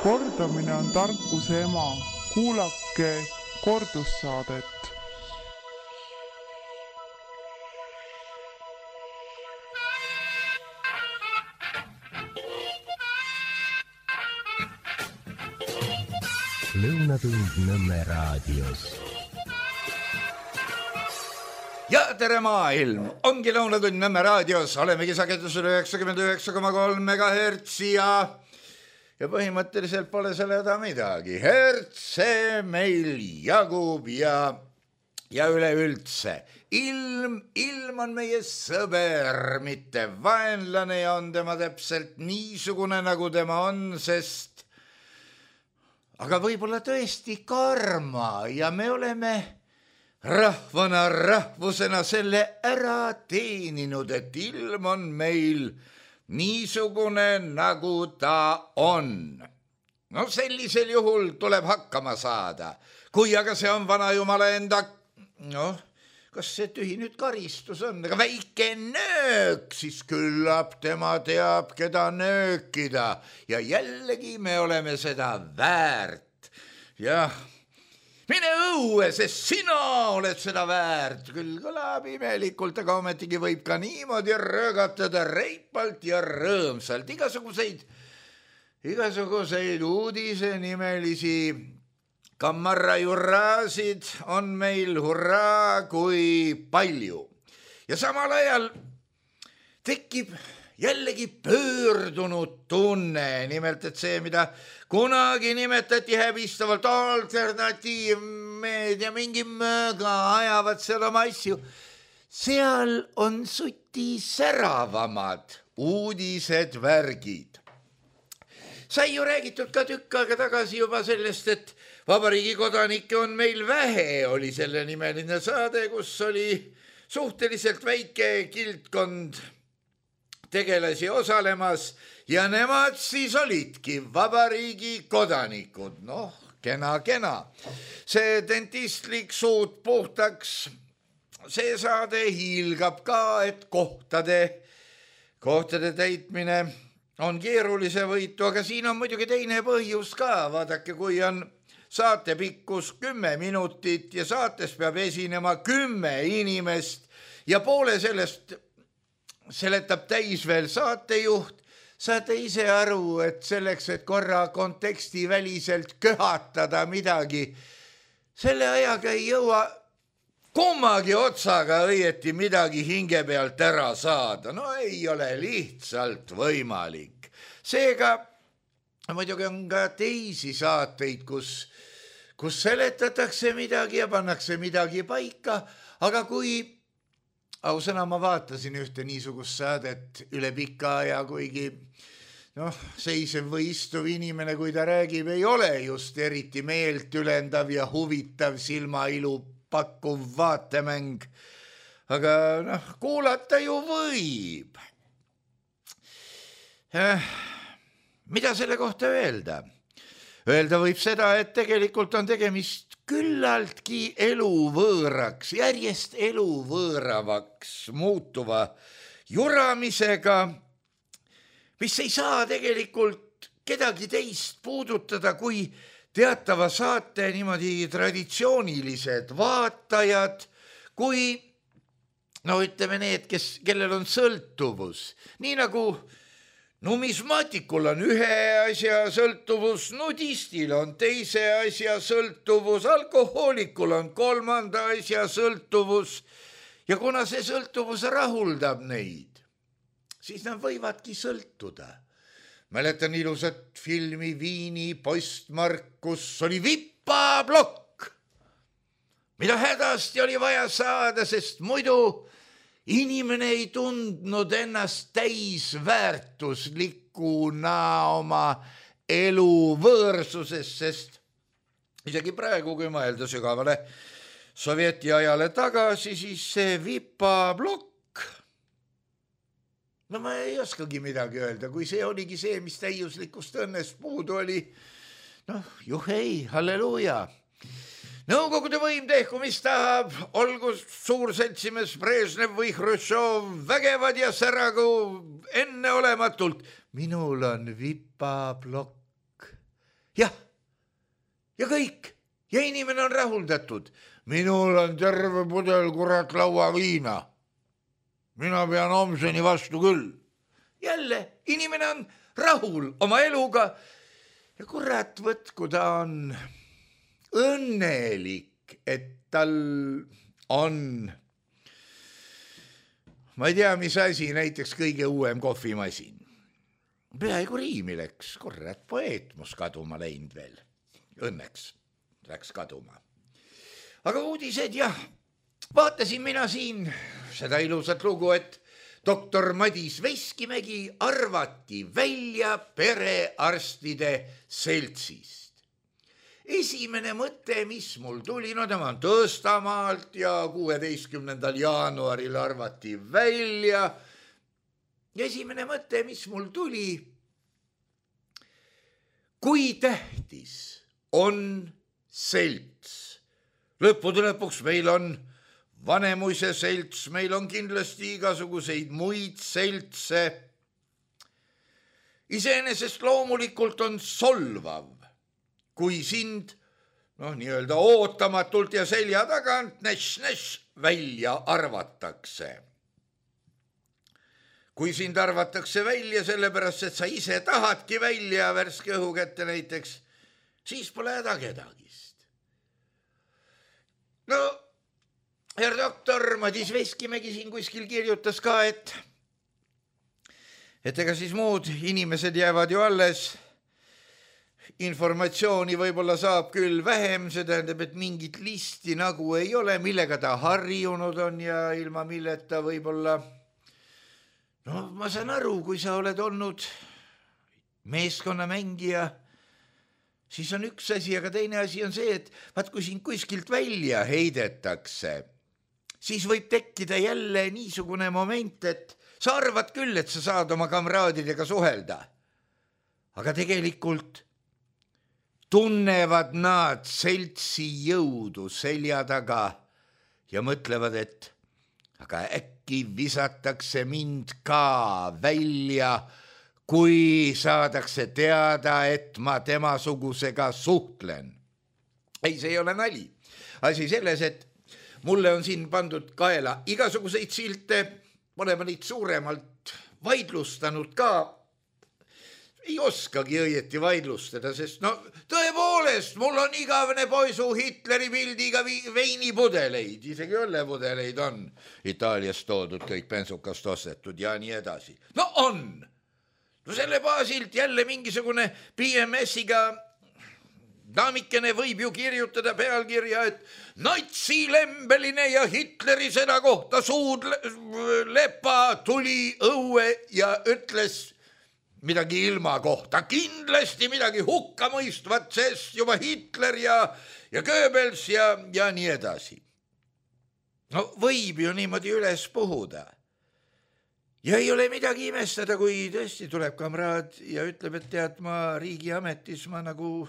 Kordamine on tarkuse ema. Kuulake kordussaadet. Lõunatund Nõmme raadios. Ja tere maailm! Ongi Lõunatund Nõmme raadios. Olemegi sagedusel 99,3 MHz ja põhimõtteliselt pole selle häda midagi. Hertse meil jagub ja üleüldse. Ilm on meie sõber, mitte vaenlane ja on tema täpselt niisugune, nagu tema on, sest aga võib-olla tõesti karma ja me oleme rahvana, rahvusena selle ära teeninud, et ilm on meil niisugune, nagu ta on. No sellisel juhul tuleb hakkama saada. Kui aga see on vana jumala enda, kas see tühi nüüd karistus on, aga väike nöök, siis küllap tema teab, keda nöökida ja jällegi me oleme seda väärt. Jah, mine õue, sest sina oled seda väärt. Küll kõlab imelikult, aga ometigi võib ka niimoodi röögatada reipalt ja rõõmsalt. Igasuguseid uudisenimelisi kammarajurraasid on meil hurraa kui palju. Ja samal ajal tekib jällegi pöördunud tunne, nimelt et see, mida kunagi nimetati häbistavalt alternatiivmeedia, mingi mööga ajavad seal oma asju. Seal on suti säravamad uudised, värgid. Sai ju räägitud ka tükk aega tagasi juba sellest, et Vabariigi kodanikke on meil vähe, oli selle nimeline saade, kus oli suhteliselt väike kildkond tegelasi osalemas ja nemad siis olidki Vabariigi kodanikud. Kena. See dentistlik suud puhtaks, see saade hiilgab ka, et kohtade täitmine on keerulise võitu, aga siin on muidugi teine põhjus ka. Vaadake, kui on saate pikkus 10 minutit ja saates peab esinema 10 inimest ja poole sellest seletab täis veel saatejuht, saate ise aru, et selleks, et korra konteksti väliselt köhatada midagi, selle ajaga ei jõua kummagi otsaga õieti midagi hinge pealt ära saada. Ei ole lihtsalt võimalik. Seega muidugi on ka teisi saateid, kus seletatakse midagi ja pannakse midagi paika, aga kui ausõna ma vaatasin ühte niisugust saadet üle pika aja, kuigi seisev või istuv inimene, kui ta räägib, ei ole just eriti meelt ülendav ja huvitav silmailu pakkuv vaatemäng, aga kuulata ju võib. Mida selle kohta öelda? Öelda võib seda, et tegelikult on tegemist küllaltki eluvõõraks, järjest eluvõõravaks muutuva juramisega, mis ei saa tegelikult kedagi teist puudutada kui teatava saate niimoodi traditsioonilised vaatajad, kui ütleme need, kellel on sõltuvus, nii nagu numismaatikul on ühe asja sõltuvus, nudistil on teise asja sõltuvus, alkohoolikul on kolmanda asja sõltuvus ja kuna see sõltuvus rahuldab neid, siis nad võivadki sõltuda. Mäletan ilusat filmi Viini postmark, kus oli vipablokk, mida hädasti oli vaja saada, sest muidu inimene ei tundnud ennast täisväärtuslikuna oma elu võõrsusest, sest isegi praegu, kui mõelda sügavale sovjeti ajale tagasi, siis see vipablokk, ma ei oskagi midagi öelda, kui see oligi see, mis täiuslikust õnnest puudu oli, juhei, halleluuja. Nõukogude võim tehku, mis tahab, olgu suurseltsimees Brežnev või Hruštšov vägevad ja säragu enneolematult. Minul on vipablokk jah, ja kõik. Ja inimene on rahuldatud. Minul on terve pudel kurat lauaviina. Mina pean homseni vastu küll. Jälle, inimene on rahul oma eluga ja kurat võtku ta on õnnelik, et tal on, ma ei tea, mis asi, näiteks kõige uuem kohvimasin. Peaaegu riimi läks, kurat, poeetmus kaduma läinud veel. Õnneks läks kaduma. Aga uudised, jah, vaatasin mina siin seda ilusat lugu, et doktor Madis Veskimägi arvati välja perearstide seltsist. Esimene mõte, mis mul tuli, no tema on Tõstamaalt ja 16. jaanuaril arvati välja. Esimene mõte, mis mul tuli, kui tähtis on selts. Lõppude lõpuks meil on Vanemuise selts, meil on kindlasti igasuguseid muid seltse. Iseenesest loomulikult on solvav, kui sind nii-öelda ootamatult ja selja tagant näš välja arvatakse. Kui sind arvatakse välja sellepärast, et sa ise tahadki välja värske õhu kätte näiteks, siis pole häda kedagist. No, herr doktor Madis Veskimägi siin kuskil kirjutas ka, et ega siis muud inimesed jäävad ju alles. Informatsiooni võib-olla saab küll vähem, see tähendab, et mingit listi nagu ei ole, millega ta harjunud on ja ilma milleta võib-olla. No ma saan aru, kui sa oled olnud meeskonnamängija, siis on üks asi, aga teine asi on see, et vaat kui sind kuskilt välja heidetakse, siis võib tekkida jälle niisugune moment, et sa arvad küll, et sa saad oma kamraadidega suhelda. Aga tegelikult tunnevad nad seltsi jõudu selja taga ja mõtlevad, et aga äkki visatakse mind ka välja, kui saadakse teada, et ma temasugusega suhtlen. Ei, see ei ole nali. Asi selles, et mulle on siin pandud kaela igasuguseid silte, pole ma neid suuremalt vaidlustanud ka. Ei oskagi õieti vaidlustada, sest tõepoolest, mul on igavene poisu Hitleri pildiga veinipudeleid, isegi õllepudeleid on Itaaliast toodud, kõik bensukast ostetud ja nii edasi. No on! No selle baasilt jälle mingisugune PMS-iga daamikene võib ju kirjutada pealkirja, et natsilembeline ja Hitleri sõna kohta suud lepa tuli õue ja ütles midagi ilma kohta, kindlasti midagi hukkamõistvat, sest juba Hitler ja Goebbels ja nii edasi. No võib ju niimoodi üles puhuda. Ja ei ole midagi imestada, kui tõesti tuleb kamraad ja ütleb, et tead, ma riigiametis ma nagu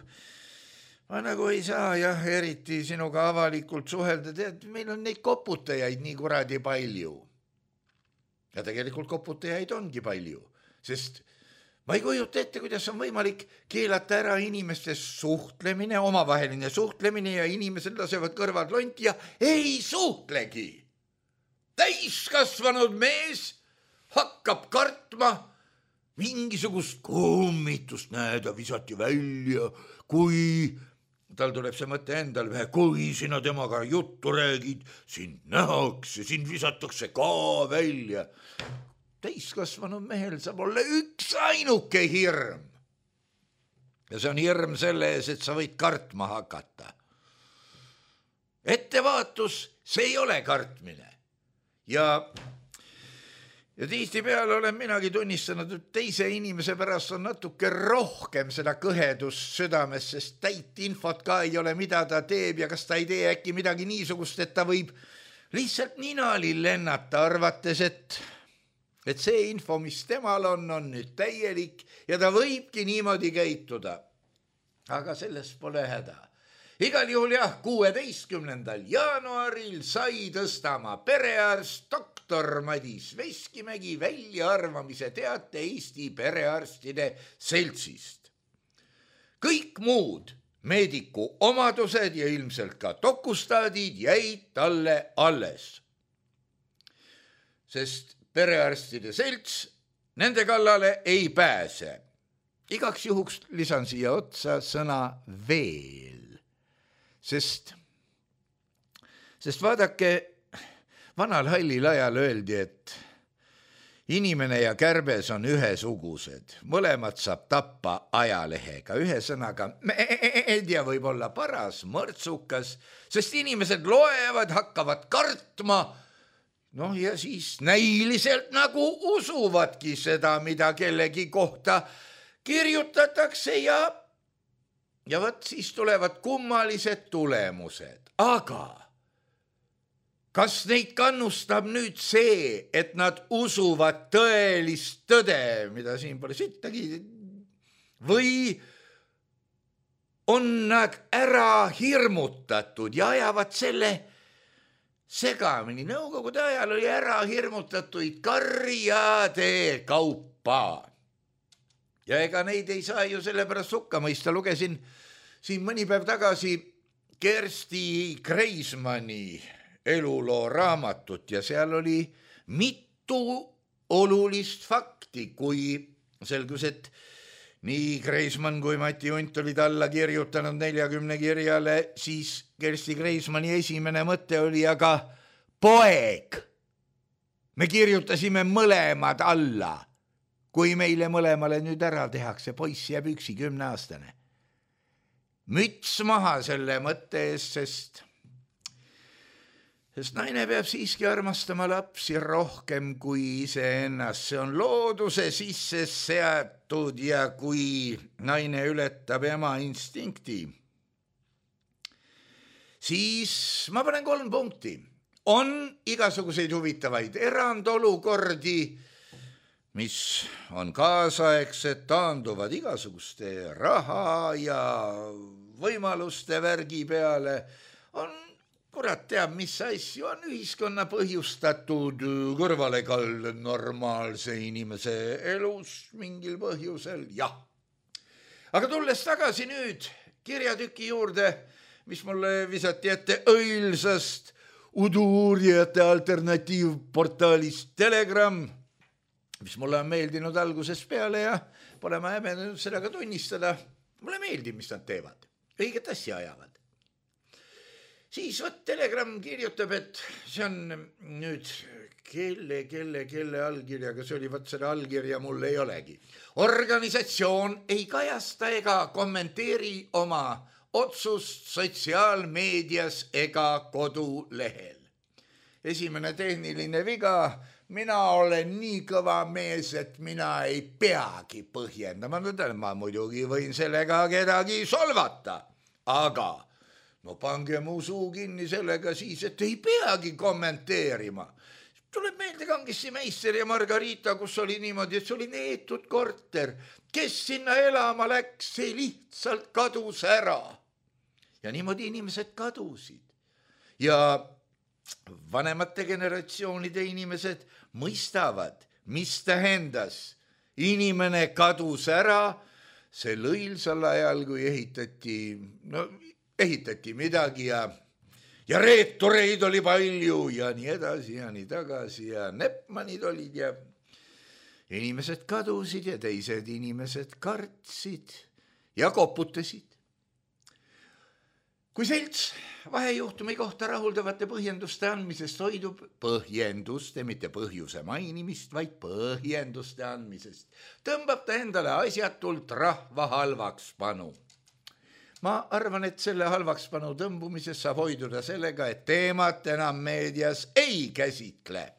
ei saa jah, eriti sinuga avalikult suhelda, tead, meil on neid koputajaid nii kuradi palju. Ja tegelikult koputajaid ongi palju, sest ma ei kujuta ette, kuidas on võimalik keelata ära inimeste suhtlemine, omavaheline suhtlemine ja inimesed lasevad kõrvad lonti ja ei suhtlegi. Täiskasvanud mees hakkab kartma mingisugust kummitust, näeda, visati välja, kui tal tuleb see mõte endal vähe, kui sina temaga juttu räägid, sind nähakse, sind visatakse ka välja. Täiskasvanud mehel saab olla üks ainuke hirm. Ja see on hirm selle ees, et sa võid kartma hakata. Ettevaatus, see ei ole kartmine. Ja tihtipeale olen minagi tunnistanud, et teise inimese pärast on natuke rohkem seda kõhedust südames, sest täit infot ka ei ole, mida ta teeb ja kas ta ei tee äkki midagi niisugust, et ta võib lihtsalt ninali lennata, arvates, et see info, mis temal on nüüd täielik ja ta võibki niimoodi käituda. Aga sellest pole häda. Igal juhul jah, 16. jaanuaril sai Tõstamaa perearst doktor Madis Veskimägi väljaarvamise teate Eesti perearstide seltsist. kõik muud meediku omadused ja ilmselt ka dokustaadid jäid talle alles. Sest perearstide selts nende kallale ei pääse. Igaks juhuks lisan siia otsa sõna veel, sest vaadake, vanal hallil ajal öeldi, et inimene ja kärbes on ühesugused, mõlemad saab tappa ajalehega, ühe sõnaga meedia võib olla paras, mõrtsukas, sest inimesed loevad, hakkavad kartma, ja siis näiliselt nagu usuvadki seda, mida kellegi kohta kirjutatakse ja võt siis tulevad kummalised tulemused. Aga kas neid kannustab nüüd see, et nad usuvad tõelist tõde, mida siin pole sittagi, või on nad ära hirmutatud ja ajavad selle segamini? Nõukogude ajal oli ära hirmutatuid karjade kaupa. Ja ega neid ei saa ju sellepärast hukka mõista. Lugesin siin mõni päev tagasi Kersti Kreismanni eluloo raamatut ja seal oli mitu olulist fakti, kui selgus, et nii Kreismann kui Mati Unt olid alla kirjutanud 40 kirjale, siis Kersti Kreismanni esimene mõte oli, aga poeg, me kirjutasime mõlemad alla. Kui meile mõlemale nüüd ära tehakse, poiss jääb üksi 10-aastane. Müts maha selle mõtte eest, sest naine peab siiski armastama lapsi rohkem kui iseennast. See on looduse sisse seatud ja kui naine ületab ema instinkti, siis ma panen 3 punkti. On igasuguseid huvitavaid erandolukordi, mis on kaasaegsed, taanduvad igasuguste raha ja võimaluste värgi peale. On, kurat teab, mis asju on ühiskonna põhjustatud kõrvalekald normaalse inimese elus mingil põhjusel, jah. Aga tulles tagasi nüüd kirjatüki juurde, mis mulle visati ette õilsast udu-uurijate alternatiivportaalist Telegram, mis mulle on meeldinud algusest peale ja pole ma häbenenud seda ka tunnistada. Mulle meeldib, mis nad teevad. Õiget asja ajavad. Siis Telegram kirjutab, et see on nüüd kelle allkirjaga, see oli, seda allkirja mul ei olegi. Organisatsioon ei kajasta ega kommenteeri oma otsust sotsiaalmeedias ega kodulehel. Esimene tehniline viga. Mina olen nii kõva mees, et mina ei peagi põhjendama. Ma muidugi võin sellega kedagi solvata, aga pange mu suu kinni sellega siis, et ei peagi kommenteerima. Tuleb meelde Kangissi Meister ja Margarita, kus oli niimoodi, et see oli neetud korter. Kes sinna elama läks, see lihtsalt kadus ära. Ja niimoodi inimesed kadusid. Ja vanemate generatsioonide inimesed mõistavad, mis tähendas. Inimene kadus ära sel õilsal ajal, kui ehitati midagi ja reetureid oli palju ja nii edasi ja nii tagasi ja Nepmanid olid ja inimesed kadusid ja teised inimesed kartsid ja koputasid. Kui selts vahejuhtumi kohta rahuldavate põhjenduste andmisest hoidub, põhjenduste, mitte põhjuse mainimist, vaid põhjenduste andmisest, tõmbab ta endale asjatult rahva halvakspanu. Ma arvan, et selle halvakspanu tõmbumisest saab hoiduda sellega, et teemat enam meedias ei käsitle.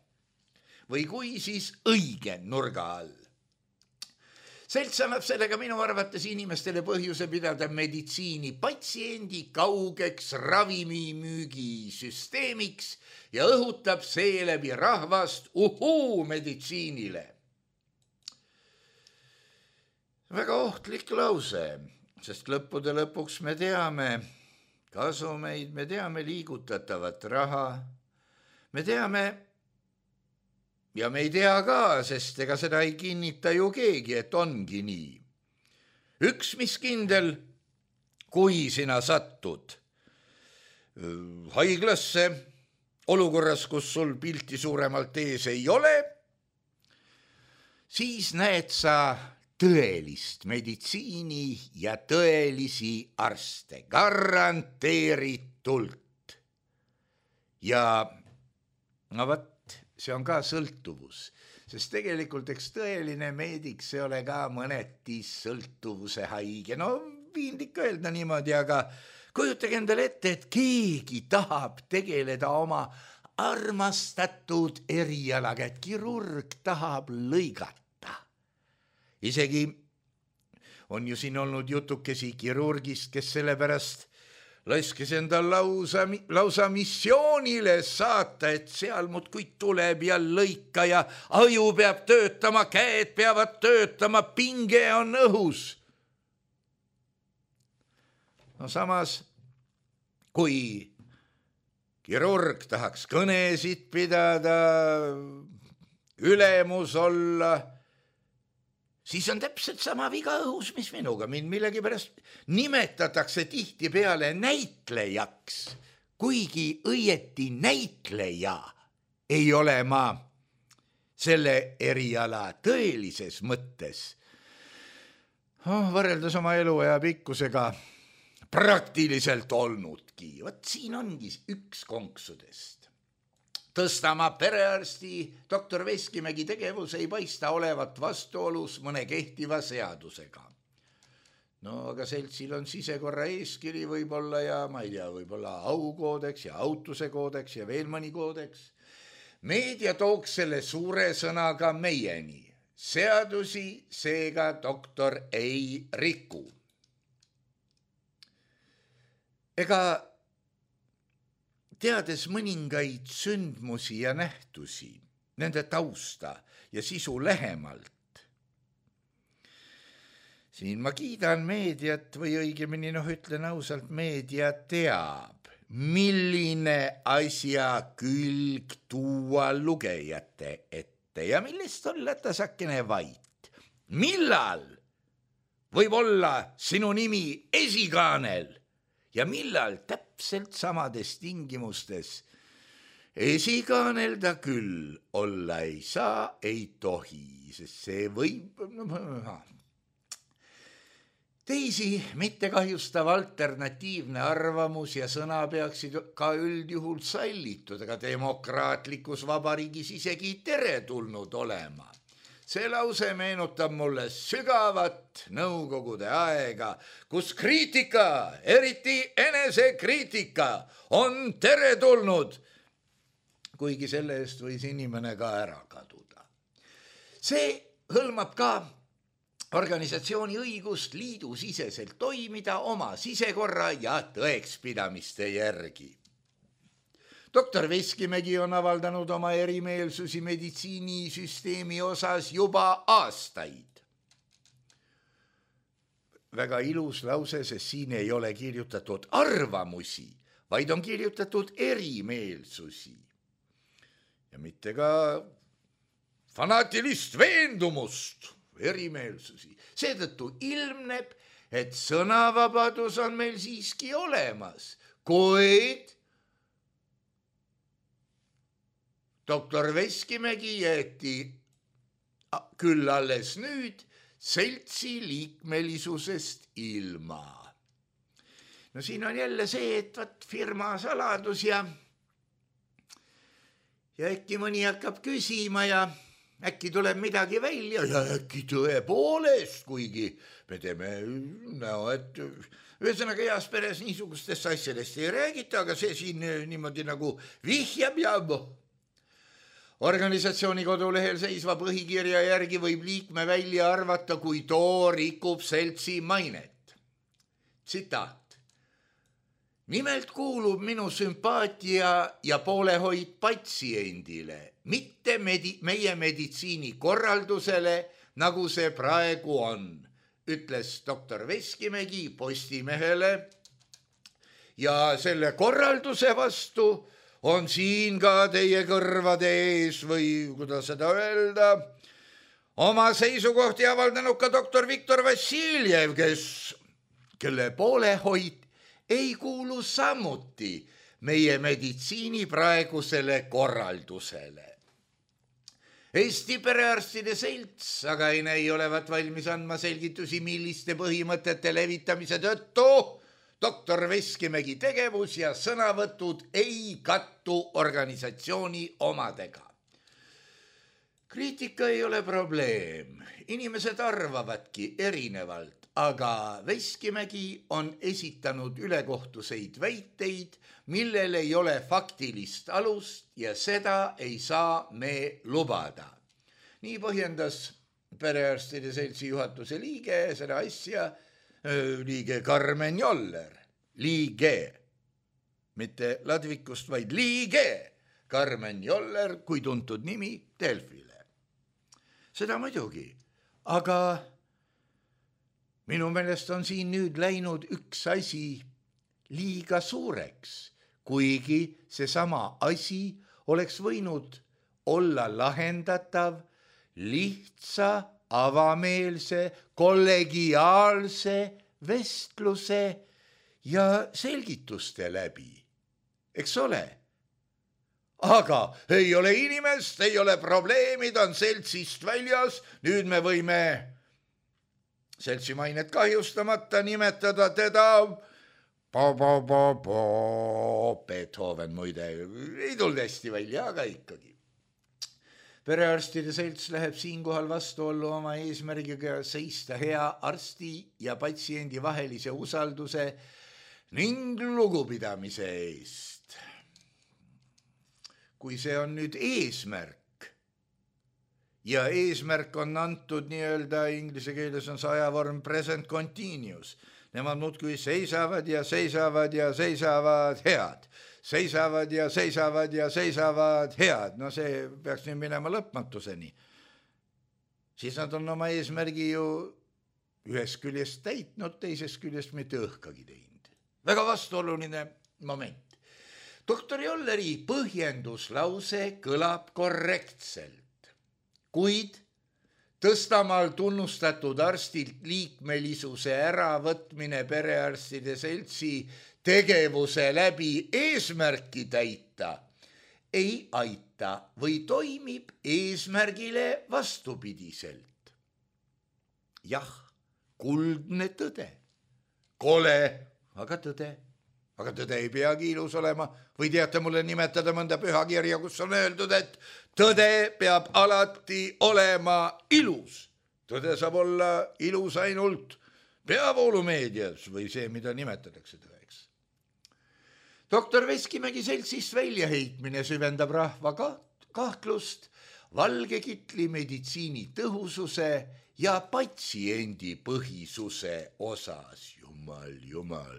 Või kui, siis õige nurga all. Selts annab sellega minu arvates inimestele põhjuse pidada meditsiini patsiendi kaugeks ravimimüügisüsteemiks ja õhutab seeläbi rahvast meditsiinile. Väga ohtlik lause, sest lõppude lõpuks me teame kasumeid, me teame liigutatavat raha, me teame ja me ei tea ka, sest ega seda ei kinnita ju keegi, et ongi nii. Üks, mis kindel, kui sina satud haiglasse olukorras, kus sul pilti suuremalt ees ei ole, siis näed sa tõelist meditsiini ja tõelisi arste, garanteeritult. Ja no võt, see on ka sõltuvus, sest tegelikult eks tõeline meedik, see ole ka mõneti sõltuvuse haige. No piinlik öelda niimoodi, aga kujutage endale ette, et keegi tahab tegeleda oma armastatud erialaga, et kirurg tahab lõigata. Isegi on ju siin olnud jutukesi kirurgist, kes sellepärast laskes enda lausa missioonile saata, et seal muudkui tuleb ja lõika ja aju peab töötama, käed peavad töötama, pinge on õhus. No samas, kui kirurg tahaks kõnesid pidada, ülemus olla, siis on täpselt sama viga õhus, mis minuga. Mind millegipärast nimetatakse tihtipeale näitlejaks, kuigi õieti näitleja ei ole ma selle eriala tõelises mõttes. Võrreldes oma eluaja pikkusega praktiliselt olnudki. Vot siin ongi üks konksudest. Tõstama perearsti doktor Veskimägi tegevus ei paista olevat vastuolus mõne kehtiva seadusega. No aga seltsil on sisekorra eeskiri võib-olla ja ma ei tea, võib-olla aukoodeks ja autuse koodeks ja veel mõni koodeks. Meedia tooks selle suure sõnaga meieni. Seadusi seega doktor ei riku. Ega teades mõningaid sündmusi ja nähtusi, nende tausta ja sisu lähemalt. Siin ma kiidan meediat või õigemini ütlen ausalt, meedia teab, milline asja külg tuua lugejate ette ja millest olla tasakene vait. Millal võib olla sinu nimi esikaanel? Ja millal täpselt samades tingimustes esikaanelda küll olla ei saa, ei tohi, sest see võib teisi mitte kahjustav alternatiivne arvamus ja sõna peaksid ka üldjuhul sallitud, aga demokraatlikus vabariigis isegi teretulnud olema. See lause meenutab mulle sügavat nõukogude aega, kus kriitika, eriti enesekriitika, on teretulnud, kuigi selle eest võis inimene ka ära kaduda. See hõlmab ka organisatsiooni õigust liidusiseselt toimida oma sisekorra ja tõekspidamiste järgi. Doktor Veskimägi on avaldanud oma erimeelsusi meditsiinisüsteemi osas juba aastaid. Väga ilus lause, sest siin ei ole kirjutatud arvamusi, vaid on kirjutatud erimeelsusi. Ja mitte ka fanaatilist veendumust, erimeelsusi. Seetõttu ilmneb, et sõnavabadus on meil siiski olemas, kuid doktor Veskimägi jäeti küll alles nüüd seltsi liikmelisusest ilma. No siin on jälle see, et firma saladus ja äkki mõni hakkab küsima ja äkki tuleb midagi välja ja äkki tõepoolest, kuigi me teeme näo, et ühesõnaga heas peres niisugustest asjadest ei räägita, aga see siin niimoodi nagu vihjab ja organisatsiooni kodulehel seisva põhikirja järgi võib liikme välja arvata, kui too rikub seltsi mainet. Tsitaat. Nimelt kuulub minu sümpaatia ja poolehoid patsiendile, mitte meie meditsiinikorraldusele, nagu see praegu on, ütles doktor Veskimägi Postimehele ja selle korralduse vastu on siin ka teie kõrvade ees või kuidas seda öelda, oma seisukohti avaldanud ka doktor Viktor Vassiljev, kes kelle poolehoid ei kuulu samuti meie meditsiini praegusele korraldusele. Eesti Perearstide Selts aga ei olevat valmis andma selgitusi, milliste põhimõtete levitamise tõttu doktor Veskimägi tegevus ja sõnavõtud ei kattu organisatsiooni omadega. Kriitika ei ole probleem, inimesed arvavadki erinevalt, aga Veskimägi on esitanud ülekohtuseid väiteid, millel ei ole faktilist alust ja seda ei saa me lubada. Nii põhjendas Perearstide Seltsi juhatuse liige seda asja, liige Karmen Joller, liige, mitte Ladvikust, vaid liige Karmen Joller, kui tuntud nimi Delfile. Seda muidugi, aga minu meelest on siin nüüd läinud üks asi liiga suureks, kuigi seesama asi oleks võinud olla lahendatav lihtsa, avameelse, kollegiaalse vestluse ja selgituste läbi, eks ole? Aga ei ole inimest, ei ole probleemid, on seltsist väljas, nüüd me võime seltsi mainet kahjustamata nimetada teda Beethoven muide, ei tulnud hästi välja, aga ikkagi. Perearstide Selts läheb siinkohal vastuollu oma eesmärgiga seista hea arsti ja patsiendi vahelise usalduse ning lugupidamise eest. Kui see on nüüd eesmärk ja eesmärk on antud nii-öelda inglise keeles on see ajavorm present continuous, nemad muudkui seisavad ja seisavad ja seisavad head. Seisavad ja seisavad ja seisavad head. No see peaks nüüd minema lõpmatuseni. Siis nad on oma eesmärgi ju ühest küljest täitnud, teisest küljest mitte õhkagi teinud. Väga vastuoluline moment. Doktor Jolleri põhjenduslause kõlab korrektselt, kuid Tõstamaal tunnustatud arstilt liikmelisuse äravõtmine Perearstide Seltsi tegevuse läbi eesmärki täita ei aita või toimib eesmärgile vastupidiselt. Jah, kuldne tõde. Kole, aga tõde. Aga tõde ei peagi ilus olema. Või teate mulle nimetada mõnda pühakirja, kus on öeldud, et tõde peab alati olema ilus. Tõde saab olla ilus ainult peavoolumeedias või see, mida nimetatakse tõeks. Doktor Veskimägi Seltsist väljaheitmine süvendab rahva kahtlust valgekitli meditsiini tõhususe ja patsiendi põhisuse osas. Jumal.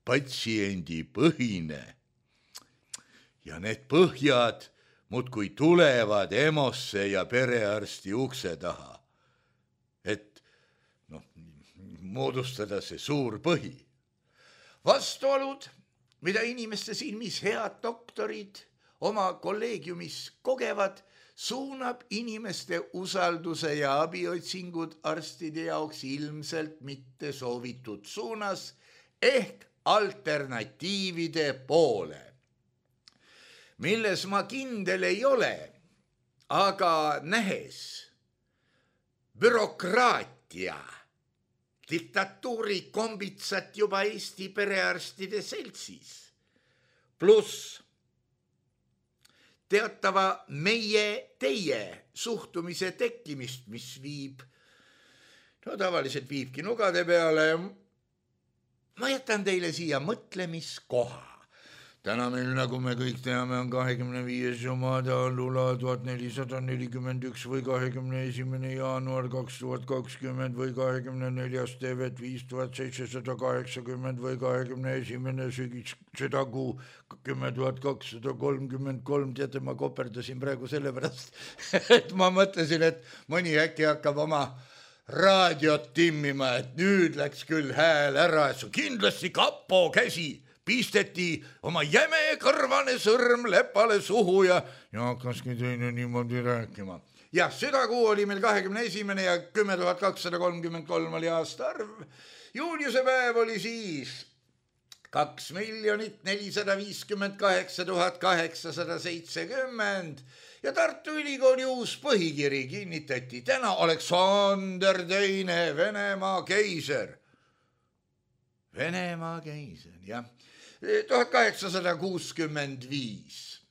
Patsiendi põhine ja need põhjad muudkui tulevad EMO-sse ja perearsti ukse taha, et moodustada see suur põhi. Vastuolud, mida inimeste silmis head doktorid oma kolleegiumis kogevad, suunab inimeste usalduse ja abiotsingud arstide jaoks ilmselt mitte soovitud suunas ehk alternatiivide poole, milles ma kindel ei ole, aga nähes bürokraatia, diktatuuri kombitsat juba Eesti Perearstide Seltsis, pluss teatava meie-teie suhtumise tekkimist, mis viib, tavaliselt viibki nugade peale. Ma jätan teile siia mõtlemiskoha. Täna meil, nagu me kõik teame, on 25. jumada lula 1441 või 21. jaanuar 2020 või 24. tevet 5780 või 21. südakuu 10.233. Teate, ma koperdasin praegu sellepärast, et ma mõtlesin, et mõni äkki hakkab oma raadiot timmima, et nüüd läks küll hääl ära, et kindlasti kapo käsi pisteti oma jäme kõrvane sõrm lepale suhu ja hakkaski teine niimoodi rääkima. jah, südakuu oli meil 21. ja 10 233 oli aasta arv. Juuliuse päev oli siis 2 458 870 ja Tartu Ülikooli uus põhikiri kinnitati. Täna Aleksander II, Venemaa keiser. Venemaa keiser, jah. 1865.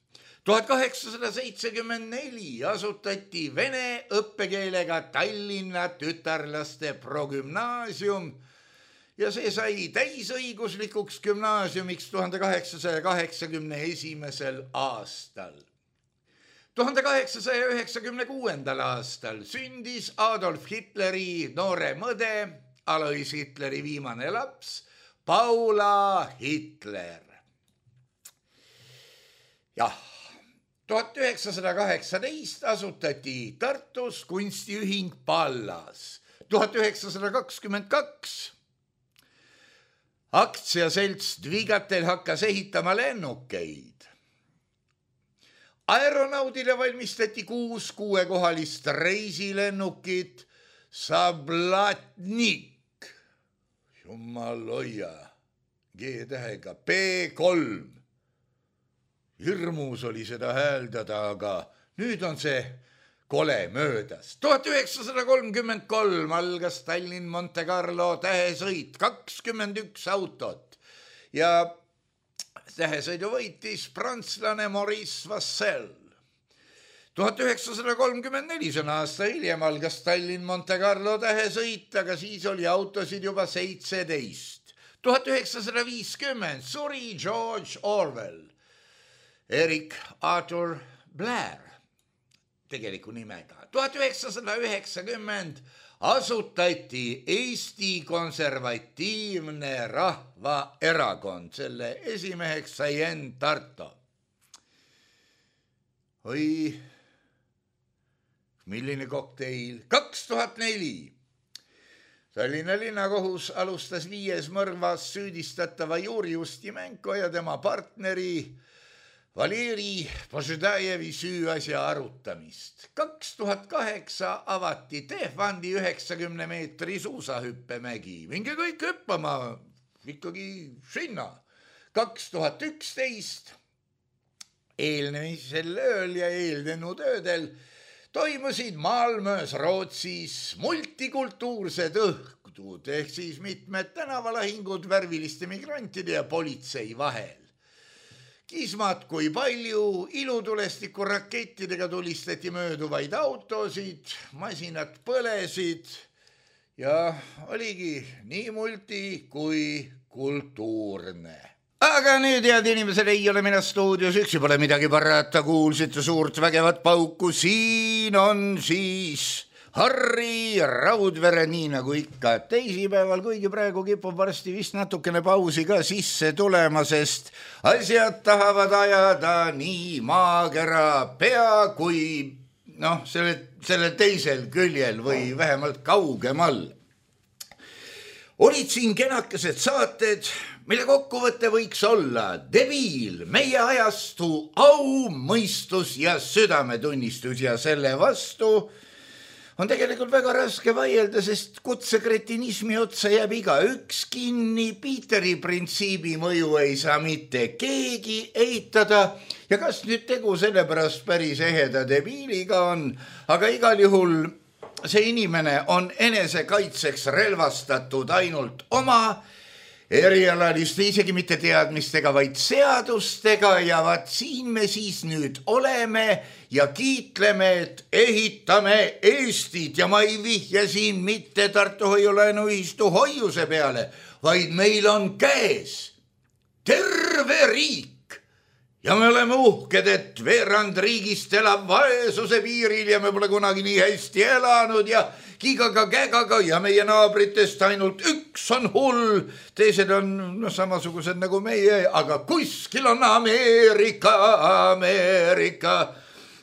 1874 asutati vene õppekeelega Tallinna tütarlaste progümnaasium ja see sai täisõiguslikuks gümnaasiumiks 1881. aastal. 1896. aastal sündis Adolf Hitleri noore mõde, Alois Hitleri viimane laps, Paula Hitler. Jah, 1918 asutati Tartus kunstiühing Pallas. 1922 aktsiaselts Dvigatel hakkas ehitama lennukeid. Aeronaudile valmistati 6 6-kohalist reisilennukit Sablatnik, jumal hoia, G-tähega, P3. Hirmus oli seda hääldada, aga nüüd on see kole möödas. 1933 algas Tallinn-Monte Carlo tähesõit, 21 autot ja tähesõidu võitis prantslane Maurice Vassel. 1934, see on aasta hiljem, algas Tallinn-Monte Carlo tähesõit, aga siis oli autosid juba 17. 1950 suri George Orwell, Eric Arthur Blair tegeliku nimega. 1990 asutati Eesti Konservatiivne Rahvaerakond, selle esimeheks sai Enn Tarto. Oi, milline kokteil. 2004 Tallinna linnakohus alustas 5. mõrvas süüdistatava Juri Ustimenko ja tema partneri Valeri Poždajevi süüasja arutamist. 2008 avati Tehvandi 90 meetri suusahüppemägi. Minge kõik hüppama, ikkagi sinna. 2011 eelnemisel ööl ja eelnenud öödel toimusid Malmös Rootsis multikultuursed õhtud ehk siis mitmed tänavalahingud värviliste migrantide ja politsei vahel. Kismad kui palju, ilutulestiku rakettidega tulistati mööduvaid autosid, masinad põlesid ja oligi nii multi kui kultuurne. Aga nüüd, head inimesed, ei ole mina stuudios üksi, pole midagi parata, kuulsite suurt vägevat pauku, siin on siis Harri Raudvere, nii nagu ikka teisipäeval, kuigi praegu kipub varsti vist natukene pausi ka sisse tulema, sest asjad tahavad ajada nii maakera pea kui selle teisel küljel või vähemalt kaugemal. Olid siin kenakesed saated, mille kokkuvõte võiks olla debiil, meie ajastu au, mõistus ja südametunnistus ja selle vastu on tegelikult väga raske vaielda, sest kutsekretinismi otsa jääb igaüks kinni, Peteri printsiibi mõju ei saa mitte keegi eitada ja kas nüüd tegu sellepärast päris eheda debiiliga on, aga igal juhul see inimene on enesekaitseks relvastatud ainult oma erialaliste, isegi mitte teadmistega, vaid seadustega ja vaat siin me siis nüüd oleme ja kiitleme, et ehitame Eestit ja ma ei vihja siin mitte Tartu Hoiulaenuühistu hoiuse peale, vaid meil on käes terve riik ja me oleme uhked, et veerand riigist elab vaesuse piiril ja me pole kunagi nii hästi elanud ja kigaga ja meie naabritest ainult üks on hull, teised on samasugused nagu meie, aga kuskil on Ameerika,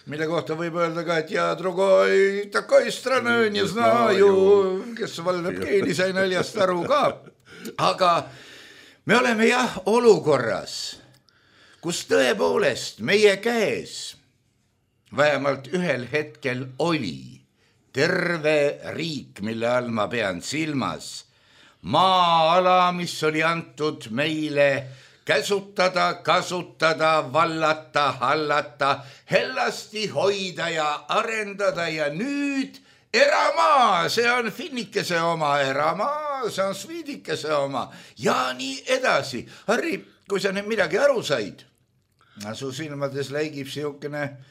mille kohta võib öelda ka, et ja drugoi takoi strana не знаю, kes valdab keeli, sai naljast aru ka. Aga me oleme jah olukorras, kus tõepoolest meie käes vähemalt ühel hetkel oli terve riik, mille all ma pean silmas maa-ala, mis oli antud meile käsutada, kasutada, vallata, hallata, hellasti hoida ja arendada ja nüüd eramaa, see on finnikese oma eramaa, see on sviidikese oma ja nii edasi. Harri, kui sa nüüd midagi aru said, su silmades läigib siukene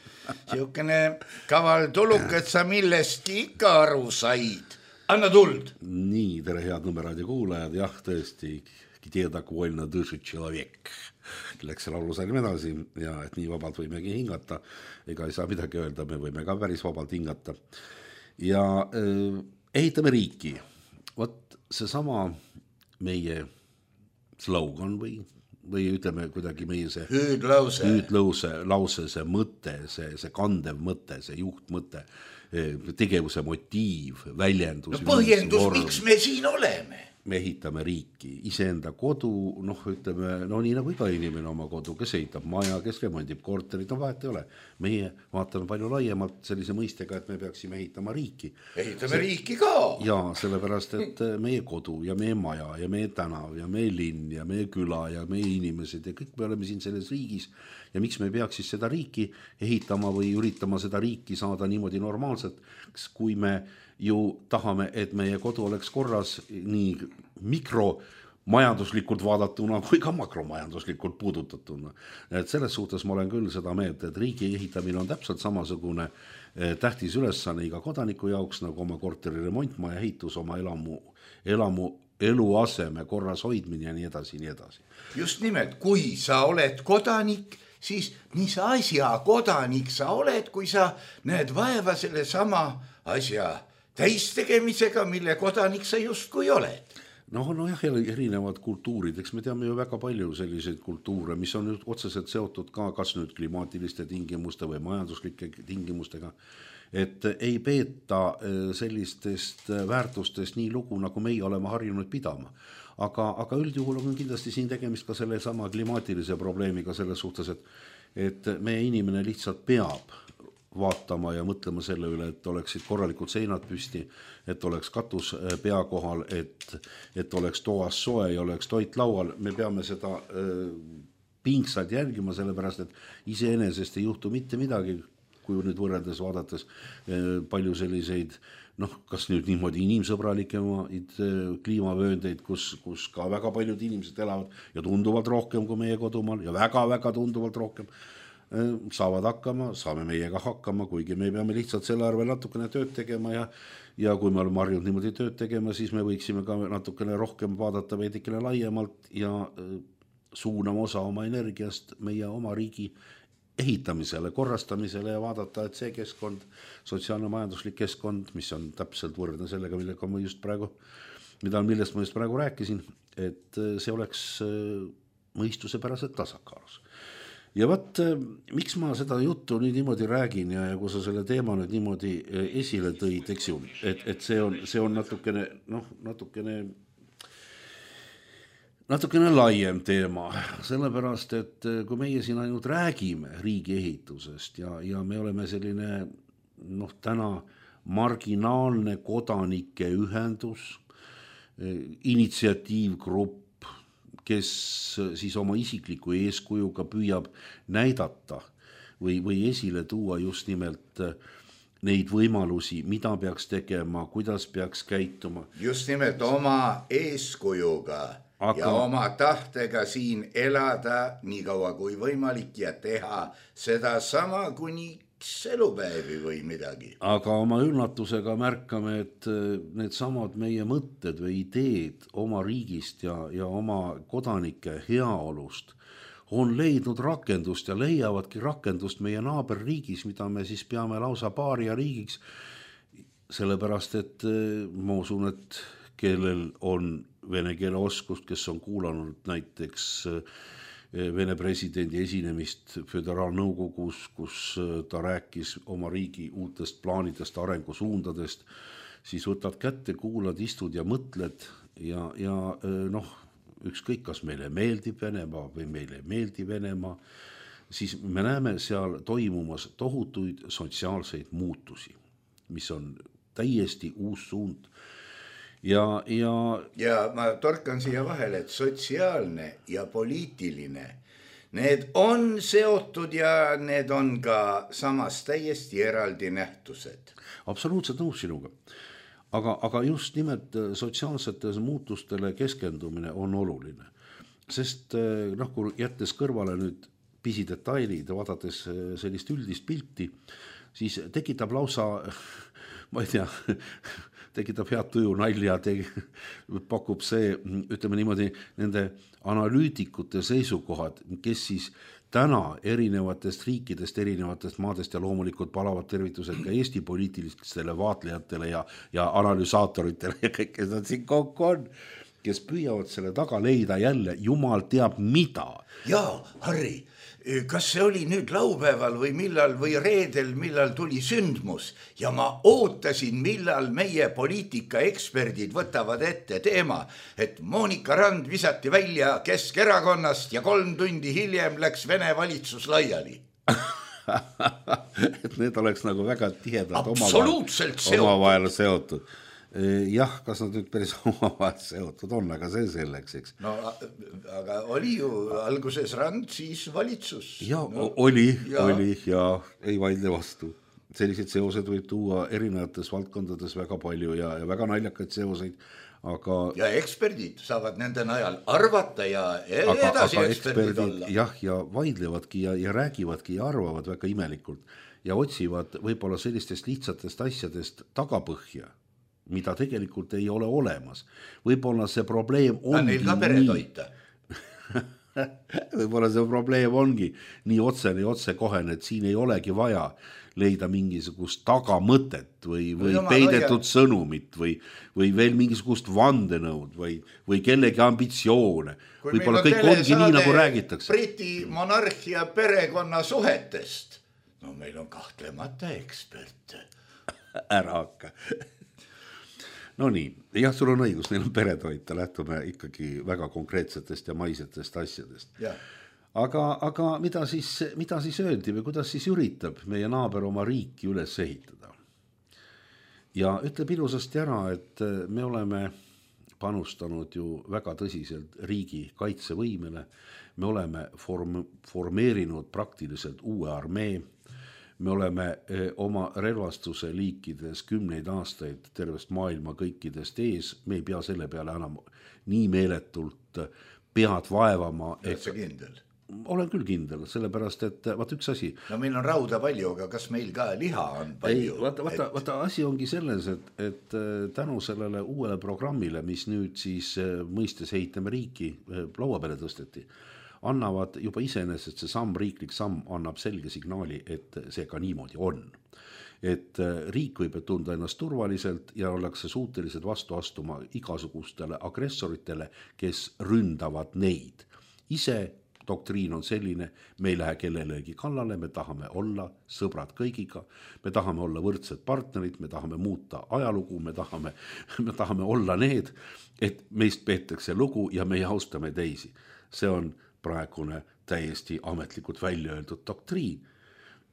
kaval tuluk, et sa millestki ikka aru said. Anna tuld. Nii, tere head Nõmmeraadio kuulajad, jah, tõesti, где довольно дышит человек. Läks selle laulusalm edasi ja et nii vabalt võimegi hingata. Ega ei saa midagi öelda, me võime ka päris vabalt hingata. Ja ehitame riiki. Vot seesama meie slogan või ütleme kuidagi meie see hüüdlause, see mõte, see kandev mõte, see juhtmõte, tegevuse motiiv, väljendus. No põhjendus, miks me siin oleme? Me ehitame riiki, iseenda kodu, ütleme, nii nagu iga inimene oma kodu, kes ehitab maja, kes remondib korterit, vahet ei ole. Meie vaatame palju laiemalt sellise mõistega, et me peaksime ehitama riiki. Ehitame riiki ka. Ja sellepärast, et meie kodu ja meie maja ja meie tänav ja meie linn ja meie küla ja meie inimesed ja kõik me oleme siin selles riigis ja miks me peaks siis seda riiki ehitama või üritama seda riiki saada niimoodi normaalselt, kui me ju tahame, et meie kodu oleks korras nii mikromajanduslikult vaadatuna kui ka makromajanduslikult puudutatuna. Et selles suhtes ma olen küll seda meelt, et riigi ehitamine on täpselt samasugune tähtis ülesanne iga kodaniku jaoks, nagu oma korteri remont, maja ehitus, oma eluaseme korras hoidmine ja nii edasi, nii edasi. Just nimelt, kui sa oled kodanik, siis mis asja kodanik sa oled, kui sa näed vaeva selle sama asja täistegemisega, mille kodanik sa justkui oled. Jah, erinevad kultuurid, eks me teame ju väga palju selliseid kultuure, mis on nüüd otseselt seotud ka kas nüüd klimaatiliste tingimuste või majanduslike tingimustega, et ei peeta sellistest väärtustest nii lugu, nagu meie oleme harjunud pidama. Aga üldjuhul on kindlasti siin tegemist ka selle sama klimaatilise probleemiga selles suhtes, et meie inimene lihtsalt peab vaatama ja mõtlema selle üle, et oleksid korralikud seinad püsti, et oleks katus pea kohal, et oleks toas soe ja oleks toit laual. Me peame seda pingsalt järgima, sellepärast, et iseenesest ei juhtu mitte midagi, kui nüüd võrreldes vaadates palju selliseid, kas nüüd niimoodi inimsõbralikemaid kliimavööndeid, kus ka väga paljud inimesed elavad ja tunduvalt rohkem kui meie kodumaal ja väga-väga tunduvalt rohkem saavad hakkama, saame meiega hakkama, kuigi me peame lihtsalt selle arvel natukene tööd tegema ja kui me oleme harjunud niimoodi tööd tegema, siis me võiksime ka natukene rohkem vaadata veidikene laiemalt ja suunama osa oma energiast meie oma riigi ehitamisele, korrastamisele ja vaadata, et see keskkond, sotsiaalne-majanduslik keskkond, mis on täpselt võrdne sellega, millest ma just praegu rääkisin, et see oleks mõistusepäraselt tasakaalus. Ja miks ma seda juttu nüüd niimoodi räägin ja kui sa selle teema nüüd niimoodi esile tõid, eks ju, et see on natukene laiem teema, sellepärast, et kui meie siin ainult räägime riigi ehitusest ja me oleme selline täna marginaalne kodanike ühendus, initsiatiivgrupp, kes siis oma isikliku eeskujuga püüab näidata või esile tuua just nimelt neid võimalusi, mida peaks tegema, kuidas peaks käituma. Just nimelt oma eeskujuga ja oma tahtega siin elada nii kaua kui võimalik ja teha seda sama kuni elupäevi või midagi. Aga oma üllatusega märkame, et need samad meie mõtted või ideed oma riigist ja oma kodanike heaolust on leidnud rakendust ja leiavadki rakendust meie naaberriigis, mida me siis peame lausa paaria riigiks, sellepärast, et ma usun, et kellel on vene keele oskust, kes on kuulanud näiteks Vene presidendi esinemist föderaalnõukogus, kus ta rääkis oma riigi uutest plaanidest, arengusuundadest, siis võtad kätte, kuulad, istud ja mõtled ja ükskõik, kas meile meeldib Venemaa või meile ei meeldi Venemaa, siis me näeme seal toimumas tohutuid sotsiaalseid muutusi, mis on täiesti uus suund. Ja ma torkan siia vahele, et sotsiaalne ja poliitiline, need on seotud ja need on ka samas täiesti eraldi nähtused. Absoluutselt nõus sinuga. Aga just nimelt sotsiaalsetele muutustele keskendumine on oluline. Sest kui jättes kõrvale nüüd pisidetailid ja vaadates sellist üldist pilti, siis tekitab lausa, ma ei tea, tekitab head tuju nalja, pakub see, ütleme niimoodi, nende analüütikute seisukohad, kes siis täna erinevatest riikidest, erinevatest maadest ja loomulikult palavad tervitused ka Eesti poliitilistele vaatlejatele ja analüsaatoritele ja kõik, kes nad siin kokku on, kes püüavad selle taga leida jälle jumal teab mida. Jaa, Harri, kas see oli nüüd laupäeval või millal või reedel, millal tuli sündmus ja ma ootasin, millal meie poliitikaeksperdid võtavad ette teema, et Monika Rand visati välja Keskerakonnast ja 3 tundi hiljem läks Vene valitsus laiali. Et need oleks nagu väga tihedalt absoluutselt omavahel seotud. Jah, kas nad nüüd päris omavahel seotud on, aga see selleks, eks. No, aga oli ju alguses Rand, siis valitsus. Ja oli ja ei vaidle vastu. Sellised seosed võib tuua erinevates valdkondades väga palju ja väga naljakaid seoseid, aga... Ja eksperdid saavad nende najal arvata ja edasi eksperdid olla. Jah, ja vaidlevadki ja räägivadki ja arvavad väga imelikult ja otsivad võib-olla sellistest lihtsatest asjadest tagapõhja, mida tegelikult ei ole olemas. Võib-olla see probleem ongi neil ka peretoita. Võib-olla see probleem ongi nii otsekohene, et siin ei olegi vaja leida mingisugust tagamõtet või peidetud sõnumit või veel mingisugust vandenõud või kellegi ambitsioone. Võib-olla kõik ongi nii, nagu räägitakse. Briti monarhia perekonna suhetest. No meil on kahtlemata eksperte. Ära hakka. No nii, jah, sul on õigus, neil on peretoita, lähtume ikkagi väga konkreetsetest ja maisetest asjadest. Ja. Aga mida siis öeldi või kuidas siis üritab meie naaber oma riiki üles ehitada? Ja ütleb ilusasti ära, et me oleme panustanud ju väga tõsiselt riigi kaitsevõimele, me oleme formeerinud praktiliselt uue armee, me oleme oma relvastuse liikides 10 aastaid tervest maailma kõikidest ees, me ei pea selle peale enam nii meeletult pead vaevama. Oled sa kindel? Olen küll kindel, sellepärast, et vaata üks asi. No meil on rauda palju, aga kas meil ka liha on palju? Ei, vaata asi ongi selles, et tänu sellele uuele programmile, mis nüüd siis mõistes ehitame riiki laua peale tõsteti, annavad juba iseenesest see riiklik samm annab selge signaali, et see ka niimoodi on. Et riik võib tunda ennast turvaliselt ja ollakse suutelised vastu astuma igasugustele agressoritele, kes ründavad neid. Ise doktriin on selline, me ei lähe kellelegi kallale, me tahame olla sõbrad kõigiga, me tahame olla võrdsed partnerid, me tahame muuta ajalugu, me tahame olla need, et meist peetakse lugu ja me austame teisi. See on praegune täiesti ametlikult välja öeldud doktriin.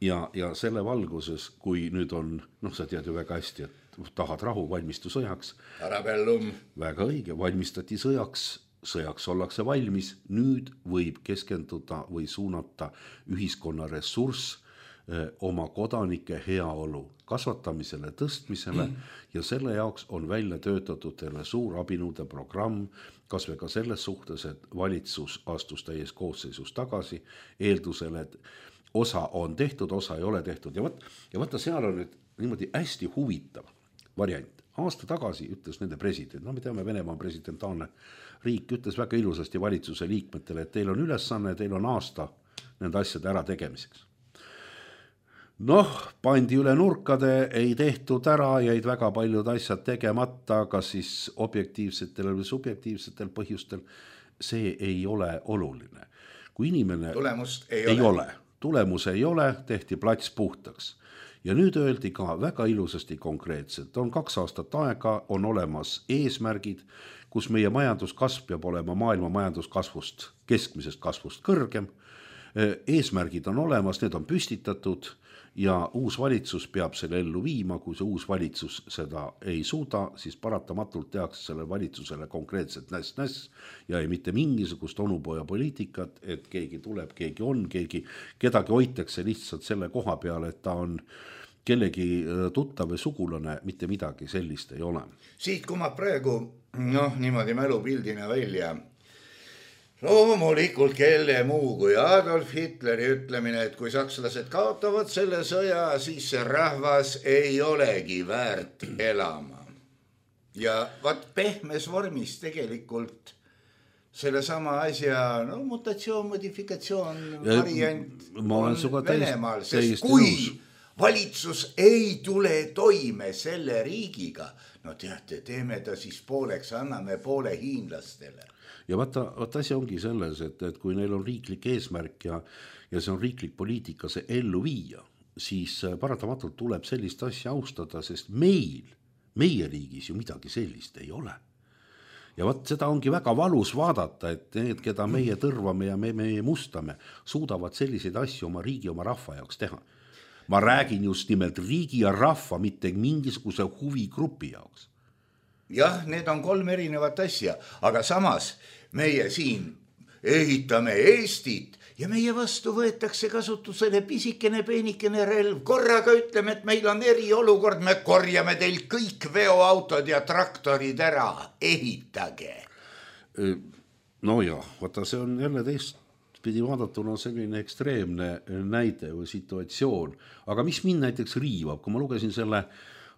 Ja selle valguses, kui nüüd on, sa tead ju väga hästi, et tahad rahu, valmistu sõjaks. Arabellum. Väga õige, valmistati sõjaks ollakse valmis, nüüd võib keskenduda või suunata ühiskonna ressurss oma kodanike heaolu kasvatamisele, tõstmisele ja selle jaoks on välja töötatud terve suur abinõude programm, kas või ka selles suhtes, et valitsus astus täies koosseisus tagasi, eeldusel, et osa on tehtud, osa ei ole tehtud ja vaata seal on nüüd niimoodi hästi huvitav variant. Aasta tagasi ütles nende president, me teame, Venemaa on presidentaalne riik, ütles väga ilusasti valitsuse liikmetele, et teil on ülesanne, teil on aasta nende asjade ära tegemiseks. Pandi üle nurkade, ei tehtud ära, jäid väga paljud asjad tegemata, kas siis objektiivsetel või subjektiivsetel põhjustel, see ei ole oluline. Kui inimene tulemus ei ole, tehti plats puhtaks. Ja nüüd öeldi ka väga ilusasti konkreetselt, on 2 aastat aega, on olemas eesmärgid, kus meie majanduskasv peab olema maailma majanduskasvust, keskmisest kasvust kõrgem, eesmärgid on olemas, need on püstitatud ja uus valitsus peab selle ellu viima, kui see uus valitsus seda ei suuda, siis paratamatult tehakse selle valitsusele konkreetselt näss ja ei mitte mingisugust onupoja poliitikat, et keegi tuleb, keegi on, kedagi hoitakse lihtsalt selle koha peale, et ta on kellegi tuttav või sugulane, mitte midagi sellist ei ole. Siit kumab praegu, niimoodi mälupildina välja. Loomulikult kelle muu kui Adolf Hitleri ütlemine, et kui sakslased kaotavad selle sõja, siis see rahvas ei olegi väärt elama. Ja vaat pehmes vormis tegelikult selle sama asja, mutatsioon, modifikatsioon, variant on Venemaal, sest kui valitsus ei tule toime selle riigiga, teate, teeme ta siis pooleks, anname poole hiinlastele. Ja vaata asi ongi selles, et kui neil on riiklik eesmärk ja see on riiklik poliitika see ellu viia, siis paratamatult tuleb sellist asja austada, sest meie riigis ju midagi sellist ei ole. Ja vaat seda ongi väga valus vaadata, et need, keda meie tõrvame ja meie mustame, suudavad selliseid asju oma riigi, oma rahva jaoks teha. Ma räägin just nimelt riigi ja rahva, mitte mingisuguse huvigrupi jaoks. Jah, need on 3 erinevat asja, aga samas meie siin ehitame Eestit ja meie vastu võetakse kasutusele pisikene peenikene relv. Korraga ütleme, et meil on eriolukord, me korjame teil kõik veoautod ja traktorid ära, ehitage. No ja, vaata see on jälle teistpidi vaadatuna selline ekstreemne näide või situatsioon, aga mis mind näiteks riivab, kui ma lugesin selle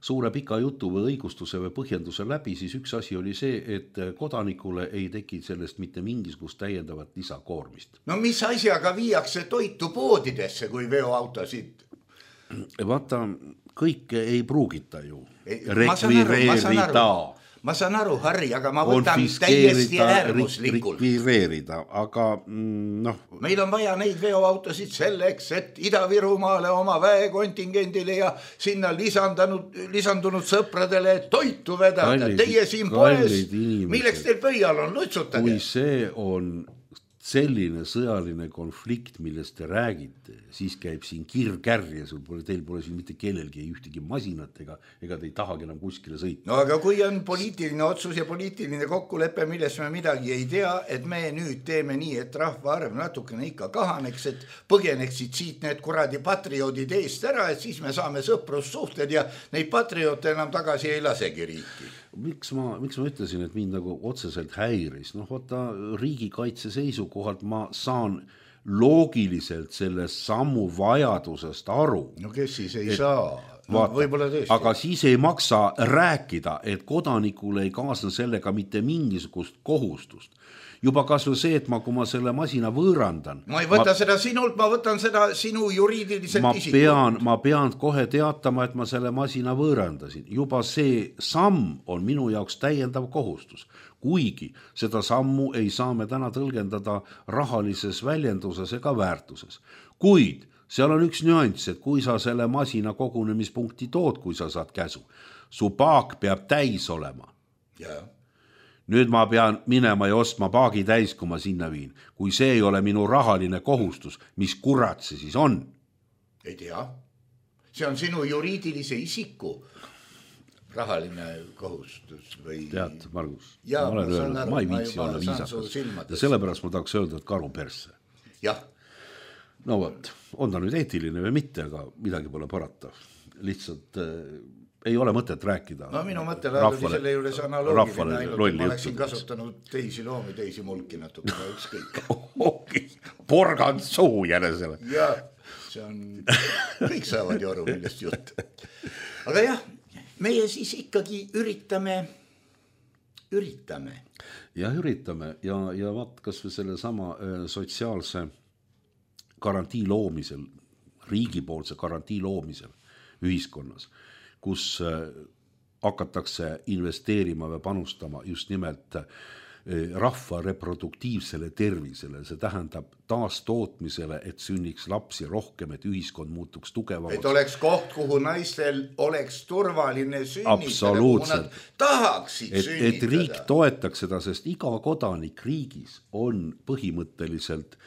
suure pika jutu või õigustuse või põhjenduse läbi, siis üks asi oli see, et kodanikule ei teki sellest mitte mingisugust täiendavat lisakoormist. No mis asjaga viiakse toitu poodidesse, kui veoautosid? Vaata, kõike ei pruugita ju. Ma saan aru, Harri, aga ma võtan täiesti äärmuslikult. Rekvireerida, aga Meil on vaja neid veoautosid selleks, et Ida-Virumaale oma väekontingendile ja sinna lisandunud sõpradele toitu vedada. Teie siin poes, milleks teil pöial on, lutsutage. Kui see on selline sõjaline konflikt, millest te räägite, siis käib siin kirkärje, teil pole siin mitte kellelgi ühtegi masinat ega te ei tahagi enam kuskile sõita. No aga kui on poliitiline otsus ja poliitiline kokkulepe, millest me midagi ei tea, et me nüüd teeme nii, et rahvaarv natukene ikka kahaneks, et põgeneksid siit need kuradi patrioodid eest ära, et siis me saame sõprussuhted ja neid patrioote enam tagasi ei lasegi riiki. Miks ma ütlesin, et mind nagu otseselt häiris? Vaata, riigikaitse seisukohalt ma saan loogiliselt selle sammu vajadusest aru. No kes siis ei saa? Vaata, aga siis ei maksa rääkida, et kodanikule ei kaasne sellega mitte mingisugust kohustust. Juba kasvu see, et kui ma selle masina võõrandan. Ma ei võta seda sinult, ma võtan seda sinu juriidiliselt isikult. Ma pean kohe teatama, et ma selle masina võõrandasin. Juba see samm on minu jaoks täiendav kohustus. Kuigi seda sammu ei saa me täna tõlgendada rahalises väljenduses ega väärtuses. Kuid seal on üks nüanss, et kui sa selle masina kogunemispunkti tood, kui sa saad käsu, su paak peab täis olema. Jaa. Nüüd ma pean minema ja ostma paagi täis, kui ma sinna viin. Kui see ei ole minu rahaline kohustus, mis kurat see siis on? Ei tea. See on sinu juriidilise isiku rahaline kohustus või... Tead, Margus, ja, ma olen öelnud, ma ei viitsi olla viisakas. Ja sellepärast ma tahaks öelda, et karu persse. Jah. No võt, on ta nüüd eetiline või mitte, aga midagi pole parata. Lihtsalt... ei ole mõtet rääkida. No minu mõttel oli selle juures analoogiline ainult, et ma oleksin kasutanud teisi loomi, teisi mulki natukene ükskõik. Porgand suu jänesele. Ja, see on, kõik saavad ju aru, millest jutt. Aga jah, meie siis ikkagi üritame. Ja üritame ja vaat kas või selle sama sotsiaalse garantii loomisel, riigipoolse garantii loomisel ühiskonnas, kus hakatakse investeerima või panustama just nimelt rahva reproduktiivsele tervisele, see tähendab taastootmisele, et sünniks lapsi rohkem, et ühiskond muutuks tugevamaks. Et oleks koht, kuhu naistel oleks turvaline sünnitada, kuhu nad tahaksid sünnitada. Et riik toetaks seda, sest iga kodanik riigis on põhimõtteliselt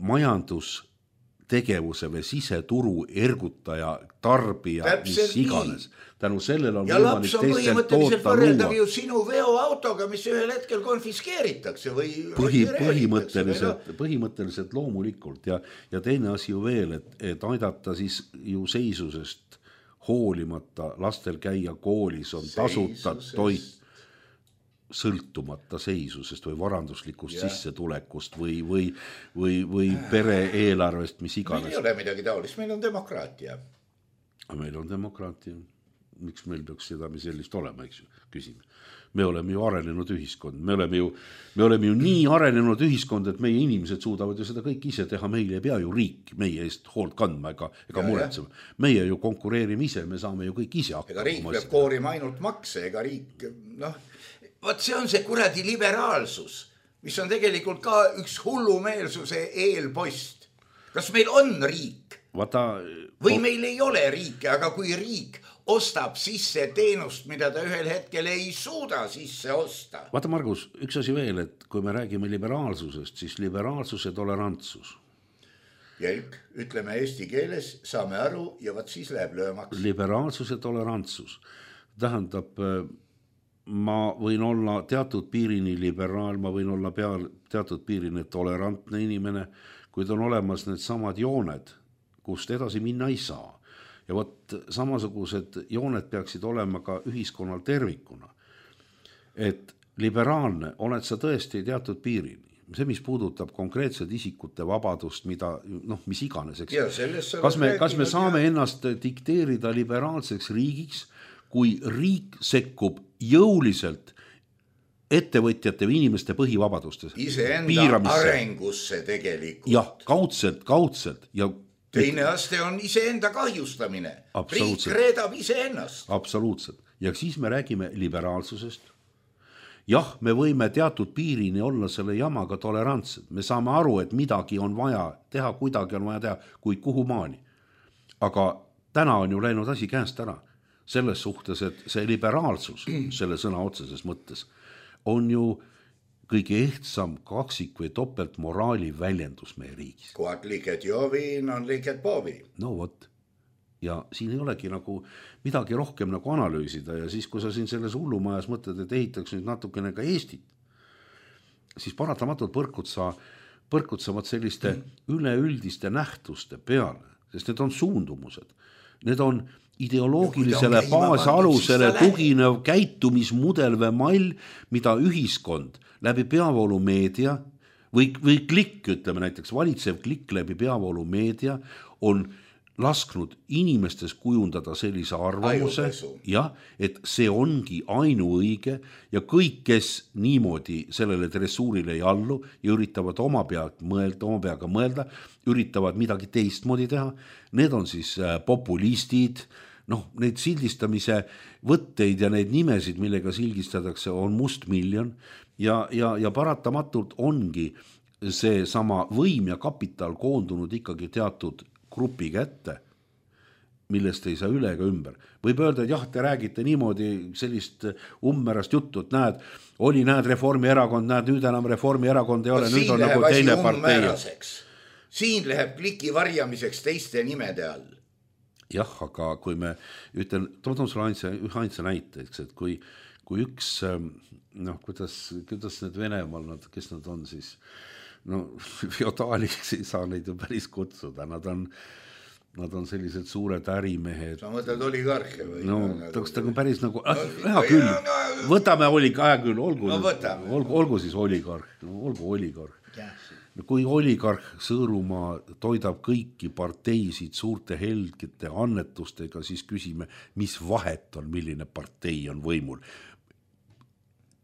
majandustegevuse või siseturu ergutaja, tarbija, mis iganes. Tänu sellele on ja laps on põhimõtteliselt võrreldav ju sinu veoautoga, mis ühel hetkel konfiskeeritakse või põhimõtteliselt loomulikult ja teine asi ju veel, et aidata siis ju seisusest hoolimata lastel käia koolis, on tasuta toit sõltumata seisusest või varanduslikust sissetulekust või pere eelarvest, mis iganes. Meil ei ole midagi taolist, meil on demokraatia. Meil on demokraatia. Miks meil peaks seda sellist olema, eks ju, küsime. Me oleme ju arenenud ühiskond, me oleme ju nii arenenud ühiskond, et meie inimesed suudavad ju seda kõik ise teha, meil ei pea ju riik meie eest hoolt kandma ega muretsema. Meie ju konkureerime ise, me saame ju kõik ise hakkama. Ega riik peab koorima ainult makse, ega riik, vaat see on see kuradi liberaalsus, mis on tegelikult ka üks hullumeelsuse eelpost. Kas meil on riik? Või meil ei ole riike, aga kui riik ostab sisse teenust, mida ta ühel hetkel ei suuda sisse osta. Vaata, Margus, üks asi veel, et kui me räägime liberaalsusest, siis liberaalsus ja tolerantsus. Jälk, ütleme eesti keeles, saame aru ja vaat siis läheb löömaks. Liberaalsus ja tolerantsus. Tähendab, ma võin olla teatud piirini liberaal, ma võin olla teatud piirini tolerantne inimene, kuid on olemas need samad jooned, kust edasi minna ei saa. Ja võt samasugused jooned peaksid olema ka ühiskonnal tervikuna. Et liberaalne oled sa tõesti teatud piirini. See, mis puudutab konkreetset isikute vabadust, mis iganes. Kas me saame ennast dikteerida liberaalseks riigiks, kui riik sekkub jõuliselt ettevõtjate või inimeste põhivabadustes? Iseenda arengusse tegelikult. Jah, kaudselt ja teine aste on iseenda kahjustamine. Riik reedab iseennast. Absoluutselt. Ja siis me räägime liberaalsusest. Jah, me võime teatud piirini olla selle jamaga tolerantsed. Me saame aru, et midagi on vaja teha, kuidagi on vaja teha, kuid kuhu maani. Aga täna on ju läinud asi käest ära. Selles suhtes, et see liberaalsus, selle sõna otseses mõttes, on ju kõige ehtsam kaksik või topelt moraali väljendus meie riigis. Kuat liiket joviin on liiket poovi. No vot. Ja siin ei olegi nagu midagi rohkem nagu analüüsida ja siis, kui sa siin selles hullumajas mõtled, et ehitaks nüüd natukene ka Eestit, siis paratamatult põrkud sa selliste üleüldiste nähtuste peale, sest need on suundumused. Need on ideoloogilisele baasalusele tuginev käitumismudel või mall, mida ühiskond läbi peavoolumeedia või klikk, ütleme näiteks valitsev klikk läbi peavoolumeedia on lasknud inimestes kujundada sellise arvamuse, et see ongi ainuõige ja kõik, kes niimoodi sellele dressuurile ei allu ja üritavad oma peaga mõelda, üritavad midagi teistmoodi teha, need on siis populistid, neid sildistamise võtteid ja neid nimesid, millega sildistatakse, on mustmiljon ja paratamatult ongi see sama võim ja kapital koondunud ikkagi teatud grupi kätte, millest ei saa üle ega ümber. Võib öelda, et jah, te räägite niimoodi sellist ummerast juttu, et näed Reformierakond, nüüd enam Reformierakond ei ole, nüüd on nagu teine partei. Siin läheb kliki varjamiseks teiste nimede all. Jah, aga kui me toon sulle ühe näite, et kui üks, kuidas need Venemaal, kes nad on siis, feodaaliks ei saa neid ju päris kutsuda, nad on sellised suured ärimehed. Sa mõtled oligarhia või? Ta on päris nagu, hea küll, võtame olgu siis oligarh. Kui oligarh Sõõrumaa toidab kõiki parteisid suurte helgete annetustega, siis küsime, mis vahet on, milline partei on võimul.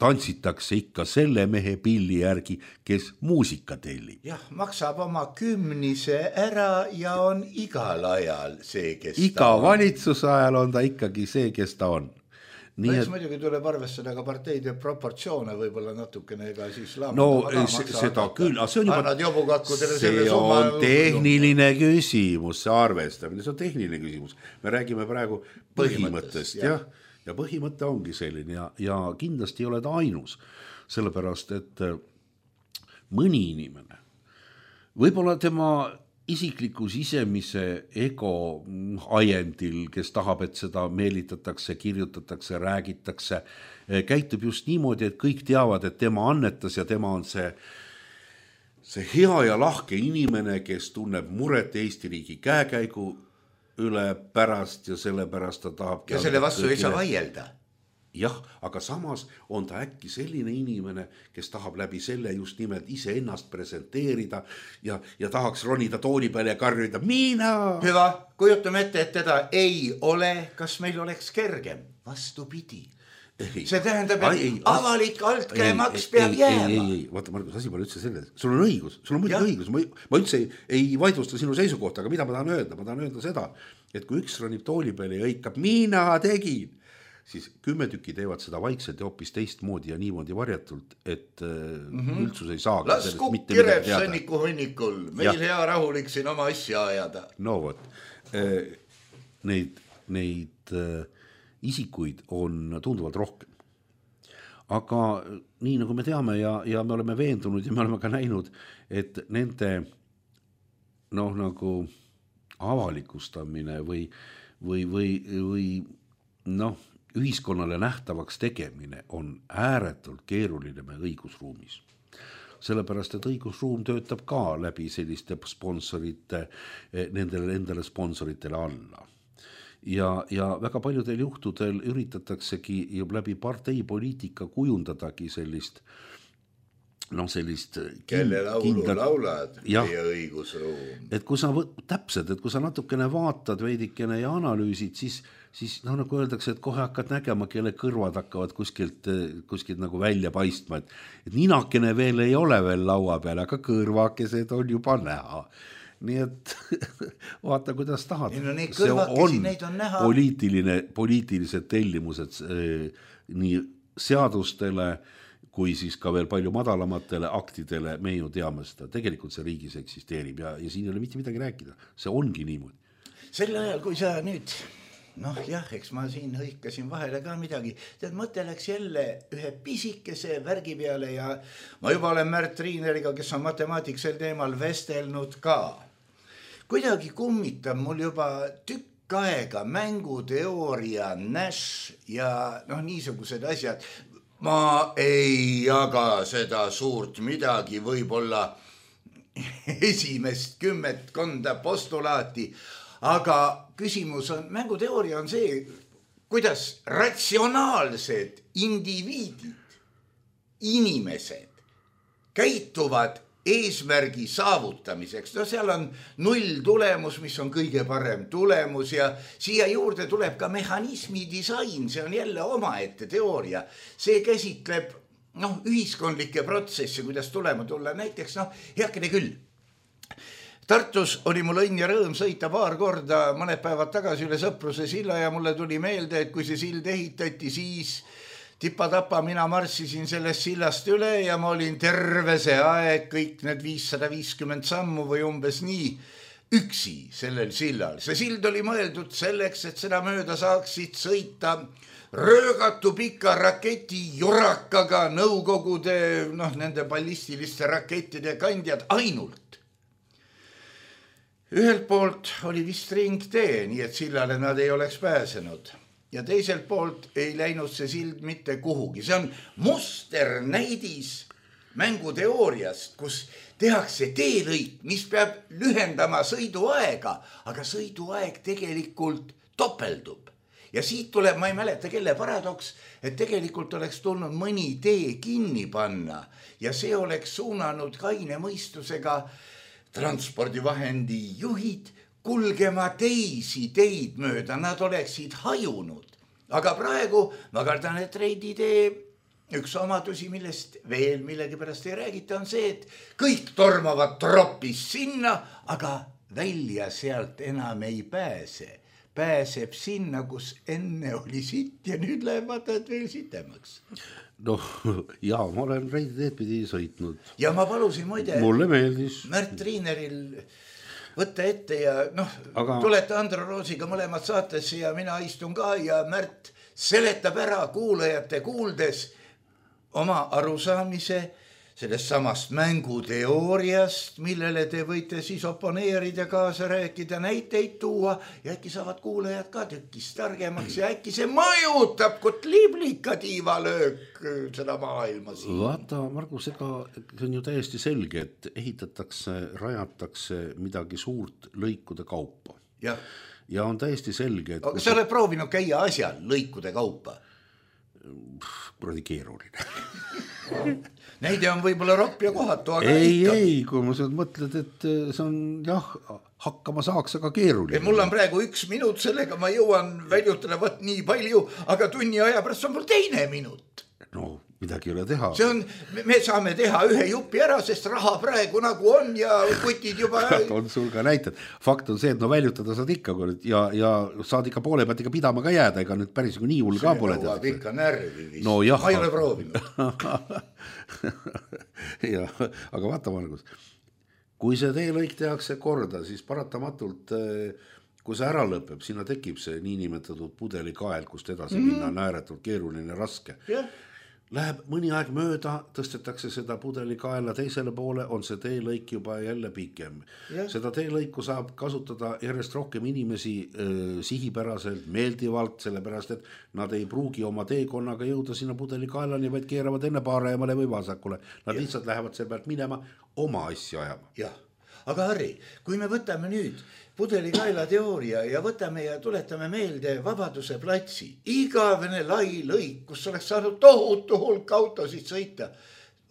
Tantsitakse ikka selle mehe pilli järgi, kes muusika tellib. Jah, maksab oma 10 ära ja on igal ajal see, kes ta on. Iga valitsuse ajal on ta ikkagi see, kes ta on. Eks muidugi tuleb arvestada ka parteide proportsioone võib-olla natukene ega siis seda küll, see on tehniline küsimus, see arvestamine, see on tehniline küsimus. Me räägime praegu põhimõttest ja põhimõte ongi selline ja kindlasti ei ole ta ainus, sellepärast et mõni inimene, võib-olla tema isikliku sisemise ego ajendil, kes tahab, et seda meelitatakse, kirjutatakse, räägitakse, käitub just niimoodi, et kõik teavad, et tema annetas ja tema on see hea ja lahke inimene, kes tunneb muret Eesti riigi käekäigu üle pärast ja sellepärast ta tahab... Ja selle vastu ei saa vaielda. Jah, aga samas on ta äkki selline inimene, kes tahab läbi selle just nimelt ise ennast presenteerida ja tahaks ronida tooli peale ja karjuda mina. Hüva, kujutame ette, et teda ei ole, kas meil oleks kergem? Vastupidi. See tähendab, et avalik altkäemaks peab jääma. Ei, vaata Margus, asi pole üldse selle. Sul on õigus, sul on muidugi õigus. Ma üldse ei vaidlusta sinu seisukohta, aga mida ma tahan öelda? Ma tahan öelda seda, et kui üks ronib tooli peale ja hõikab, mina tegin, siis 10 tükki teevad seda vaikselt ja hoopis teistmoodi ja niimoodi varjatult, et üldsus ei saa. Las kukk kireb sõnniku hunnikul, meil hea rahulik siin oma asja ajada. No vot, neid isikuid on tunduvalt rohkem. Aga nii nagu me teame ja me oleme veendunud ja me oleme ka näinud, et nende nagu avalikustamine või ühiskonnale nähtavaks tegemine on ääretult keeruline meie õigusruumis. Sellepärast, et õigusruum töötab ka läbi selliste sponsorite, endale sponsoritele alla. Ja väga paljudel juhtudel üritataksegi läbi parteipoliitika kujundadagi sellist kelle laulu laulad meie õigusruum. Et kui sa natukene vaatad veidikene ja analüüsid, siis nagu öeldakse, et kohe hakkad nägema, kelle kõrvad hakkavad kuskilt nagu välja paistma, et ninakene veel ei ole veel laua peal, aga kõrvakesed on juba näha. Nii et vaata, kuidas tahad. See on poliitilised tellimused nii seadustele kui siis ka veel palju madalamatele aktidele, me ju teame seda. Tegelikult see riigis eksisteerib ja siin ei ole mitte midagi rääkida. See ongi niimoodi. Sel ajal, kui sa nüüd, eks ma siin hõikasin vahele ka midagi, tead, mõte läks jälle ühe pisikese värgi peale ja ma juba olen Märt Riineriga, kes on matemaatik sel teemal vestelnud ka. Kuidagi kummitab mul juba tükk aega mänguteooria, Nash ja niisugused asjad. Ma ei jaga seda suurt midagi, võib-olla esimest 10 postulaati, aga küsimus on, mänguteooria on see, kuidas ratsionaalsed indiviidid, inimesed käituvad eesmärgi saavutamiseks. Seal on 0 tulemus, mis on kõige parem tulemus ja siia juurde tuleb ka mehhanismi disain, see on jälle omaette teooria. See käsitleb ühiskondlikke protsesse, kuidas tulema tulla. Näiteks, heakene küll. Tartus oli mul õnn ja rõõm sõita paar korda mõned päevad tagasi üle Sõpruse silla ja mulle tuli meelde, et kui see sild ehitati, siis tipa-tapa mina marssisin sellest sillast üle ja ma olin terve see aeg, kõik need 550 sammu või umbes nii, üksi sellel sillal. See sild oli mõeldud selleks, et seda mööda saaksid sõita röögatu pika raketi jurakaga nõukogude, nende ballistiliste rakettide kandjad ainult. Ühelt poolt oli vist ringtee, nii et sillale nad ei oleks pääsenud. Ja teiselt poolt ei läinud see sild mitte kuhugi. See on musternäidis mänguteooriast, kus tehakse teelõik, mis peab lühendama sõiduaega, aga sõiduaeg tegelikult topeldub. Ja siit tuleb, ma ei mäleta, kelle paradoks, et tegelikult oleks tulnud mõni tee kinni panna ja see oleks suunanud kaine mõistusega transpordivahendi juhid kulgema teisi teid mööda, nad oleksid hajunud. Aga praegu, ma kardan, et reiditee üks omadusi, millest veel millegi pärast ei räägita, on see, et kõik tormavad tropis sinna, aga välja sealt enam ei pääse. pääseb sinna, kus enne oli sitt ja nüüd läheb vaata, et veel sitemaks. Noh, jaa, ma olen Reidi teed pidi sõitnud. Ja ma palusin muide mulle meeldis. Märt Triineril võtta ette ja tulete Andro Roosiga mõlemad saatesse ja mina istun ka ja Märt seletab ära kuulajate kuuldes oma arusaamise sellest samast mänguteooriast, millele te võite siis oponeerida, kaasa rääkida, näiteid tuua ja äkki saavad kuulajad ka tükist targemaks ja äkki see mõjutab kot liblika tiivalöök seda maailma siin. Vaata, Margus, ega see on ju täiesti selge, et ehitatakse, rajatakse midagi suurt lõikude kaupa. Ja on täiesti selge, et... Aga sa oled proovinud käia asjal lõikude kaupa? Kuradi keeruline. Neid on võib-olla ropp ja kohatu, aga ei, kui ma seda mõtled, et see on hakkama saaks, aga keeruline. Mul on praegu 1 minut, sellega ma jõuan väljutada võt nii palju, aga tunni aja pärast on mul 2 minut. No, midagi ei ole teha. Me saame teha 1 jupi ära, sest raha praegu nagu on ja kutid juba... on sul ka näited. Fakt on see, et väljutada saad ikka ja saad ikka poole pealt ikka pidama ka jääda, ega nüüd päris nii hull ka pole. See nõuab ikka närvi vist. No, jah. Ma ei ole proovinud. Ja, aga vaata, Margus, kui see teelõik tehakse korda, siis paratamatult, kui see ära lõpeb, sinna tekib see niinimetatud pudelikael, kust edasi minna on ääretult keeruline raske. Läheb mõni aeg mööda, tõstetakse seda pudelikaela teisele poole, on see teelõik juba jälle pikem. Seda teelõiku saab kasutada järjest rohkem inimesi sihipäraselt, meeldivalt, sellepärast, et nad ei pruugi oma teekonnaga jõuda sinna pudelikaelani, vaid keeravad enne paremale või vasakule. Nad lihtsalt lähevad selle pealt minema oma asja ajama. Jah, aga Harri, kui me võtame nüüd pudelikaela teooria ja võtame ja tuletame meelde Vabaduse platsi, igavene lai lõik, kus oleks saanud tohutu hulk autosid sõita.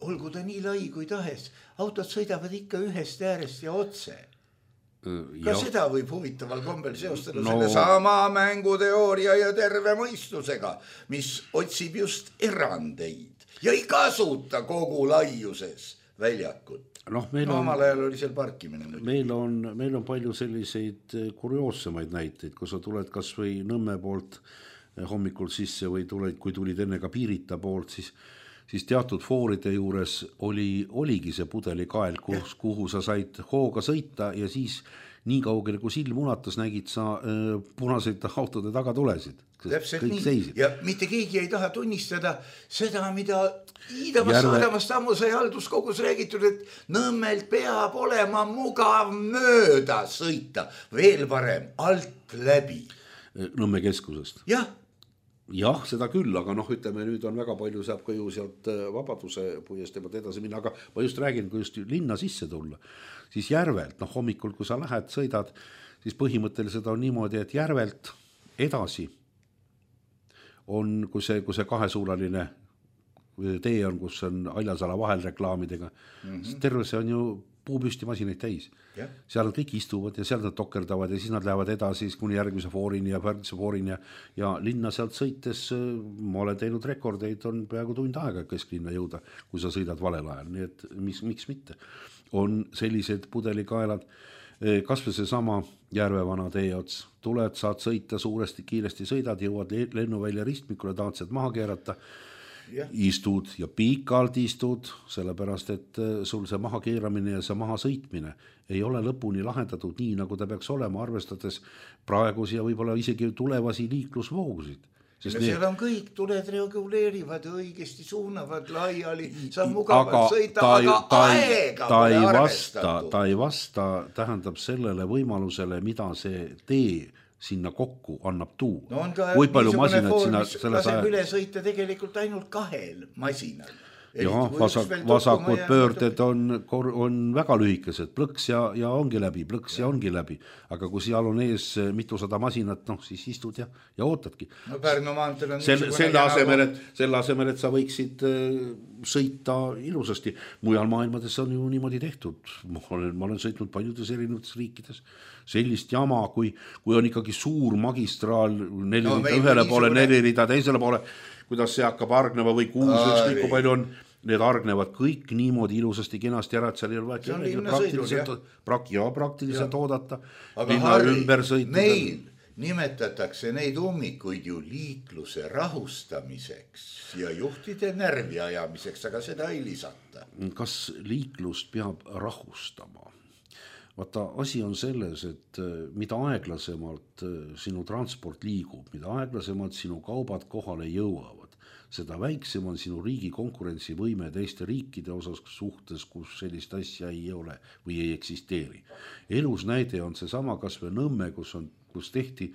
Olgu ta nii lai kui tahes, autod sõidavad ikka ühest äärest ja otse. Ka seda võib huvitaval kombel seostada selle sama mänguteooria ja terve mõistusega, mis otsib just erandeid ja ei kasuta kogu laiuses väljakut. Omal ajal oli seal parkimine. Meil on palju selliseid kurioossemaid näiteid, kui sa tuled kas või Nõmme poolt hommikul sisse või kui tulid enne ka Piirita poolt, siis teatud fooride juures oligi see pudelikael, kuhu sa said hooga sõita ja siis nii kaugele, kui silm unatas, nägid sa punaseid autode taga tulesid. Täpselt nii. Seisid. Ja mitte keegi ei taha tunnistada seda, mida Iidamast ammu sai halduskogus räägitud, et Nõmmelt peab olema mugav mööda sõita. Veel parem, alt läbi. Nõmme keskusest. Jah, seda küll, aga ütleme, nüüd on väga palju saab ka ju sealt Vabaduse puiest edasi minna, aga ma just räägin, kui just linna sisse tulla, siis Järvelt, hommikul, kui sa lähed, sõidad, siis põhimõtteliselt on niimoodi, et Järvelt edasi on, kui see kahesuunaline tee on, kus on Aljasala vahel reklaamidega, terve see on ju puupüsti masinaid täis. Seal nad kõik istuvad ja seal nad tokerdavad ja siis nad lähevad edasi kuni järgmise foorini ja pärgise foorini ja linna sealt sõites, ma olen teinud rekordeid, on peaaegu tund aega kesklinna jõuda, kui sa sõidad valel ajal, nii et miks mitte. On sellised pudelikaelad, kas või see sama Järvevana tee ots, tuled, saad sõita suuresti, kiiresti sõidad, jõuad lennuvälja ristmikule, tahad sealt maha keerata, istud ja pikalt istud, sellepärast, et sul see maha keeramine ja see maha sõitmine ei ole lõpuni lahendatud nii, nagu ta peaks olema, arvestades praegusi ja võib-olla isegi tulevasi liiklusvoogusid. Seal on kõik, tuled reguleerivad, õigesti suunavad laiali, saab mugavalt sõita, aga aega pole arvestatud. Ta ei vasta, tähendab sellele võimalusele, mida see tee sinna kokku annab tuua. No on ka niisugune foor, mis laseb üle sõita tegelikult ainult 2 masinal. Vasakud pöörded on väga lühikesed, plõks ja ongi läbi, aga kui seal on ees mitusada masinat, siis istud ja ootadki. Pärnu maantel on selle asemel, et sa võiksid sõita ilusasti. Mujal maailmades on ju niimoodi tehtud. Ma olen sõitnud paljudes erinevates riikides. Sellist jama, kui on ikkagi suur magistraal, 4 rida ühele poole, 4 rida teisele poole, kuidas see hakkab argneva või kuus, ükskõik kui palju on, need argnevad kõik niimoodi ilusasti kenasti ära, et seal ei ole praktiliselt oodata. Aga Harri, meil nimetatakse neid ummikuid ju liikluse rahustamiseks ja juhtide närvi ajamiseks, aga seda ei lisata. Kas liiklust peab rahustama? Vaata, asi on selles, et mida aeglasemalt sinu transport liigub, mida aeglasemalt sinu kaubad kohale jõuavad, seda väiksem on sinu riigi konkurentsivõime teiste riikide osas suhtes, kus sellist asja ei ole või ei eksisteeri. Elus näide on seesama kas või Nõmme, kus tehti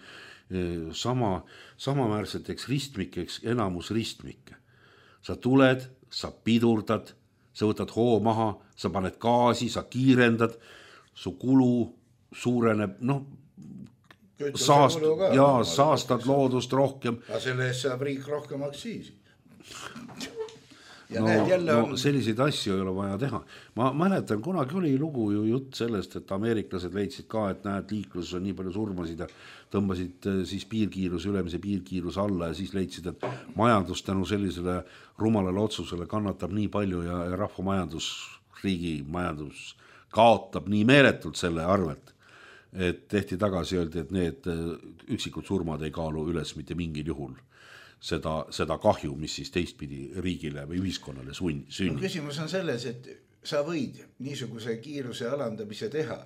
samaväärseteks ristmikeks enamus ristmikke. Sa tuled, sa pidurdad, sa võtad hoo maha, sa paned gaasi, sa kiirendad, su kulu suureneb, saastad loodust rohkem. Aga selle eest saab riik rohkem aktsiisi. Selliseid asju ei ole vaja teha. Ma mäletan, kunagi oli lugu ju jutt sellest, et ameeriklased leidsid ka, et näed, liikluses on nii palju surmasid ja tõmbasid siis ülemise piirkiiruse alla ja siis leidsid, et majandus tänu sellisele rumalale otsusele kannatab nii palju ja rahvamajandus, riigi majandus kaotab nii meeletult selle arvelt, et tehti tagasi, öeldi, et need üksikud surmad ei kaalu üles mitte mingil juhul seda kahju, mis siis teistpidi riigile või ühiskonnale sünnib. Küsimus on selles, et sa võid niisuguse kiiruse alandamise teha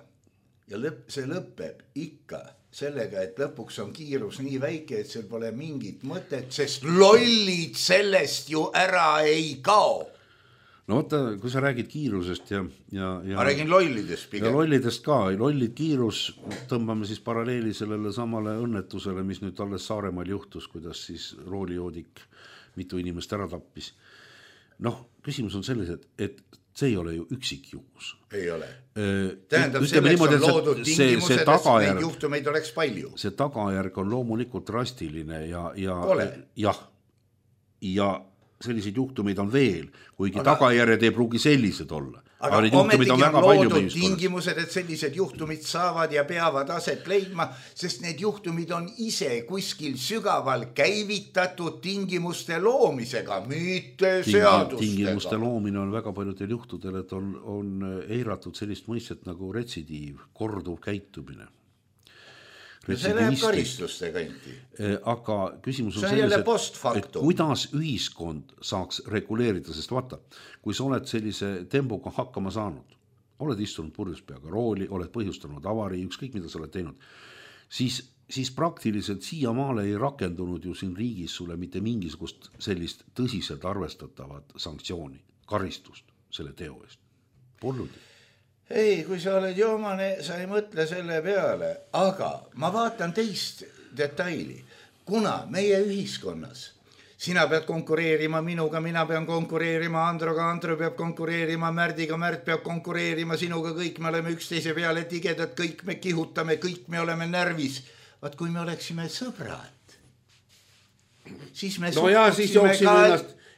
ja see lõpeb ikka sellega, et lõpuks on kiirus nii väike, et seal pole mingit mõtet, sest lollid sellest ju ära ei kao. No oota, kui sa räägid kiirusest ja ma räägin lollidest pigem. Ja lollidest ka, lollid kiirus, tõmbame siis paralleeli sellele samale õnnetusele, mis nüüd alles Saaremaal juhtus, kuidas siis roolijoodik mitu inimest ära tappis. Küsimus on selles, et see ei ole ju üksikjuhus. Ei ole. Tähendab, selleks on loodud tingimused, et neid juhtumeid oleks palju. See tagajärg on loomulikult drastiline ja selliseid juhtumeid on veel, kuigi tagajärjed ei pruugi sellised olla. Aga ometigi on loodud tingimused, et sellised juhtumid saavad ja peavad aset leidma, sest need juhtumid on ise kuskil sügaval käivitatud tingimuste loomisega, mitte seadustega. Tingimuste loomine on väga paljudel juhtudel, et on eiratud sellist mõistet nagu retsidiiv, korduv käitumine. See läheb karistuste kanti. Aga küsimus on selles, et kuidas ühiskond saaks reguleerida, sest vaata, kui sa oled sellise tembuga hakkama saanud, oled istunud purjus peaga rooli, oled põhjustanud avarii, ükskõik mida sa oled teinud, siis praktiliselt siiamaale ei rakendunud ju siin riigis sulle mitte mingisugust sellist tõsiselt arvestatavat sanktsiooni, karistust selle teo eest. Polnud. Ei, kui sa oled joomane, sa ei mõtle selle peale, aga ma vaatan teist detaili. Kuna meie ühiskonnas sina pead konkureerima minuga, mina pean konkureerima Androga, Andro peab konkureerima Märdiga, Märt peab konkureerima sinuga, kõik me oleme üksteise peale tigedad, kõik me kihutame, kõik me oleme närvis. Vaat kui me oleksime sõbrad, siis me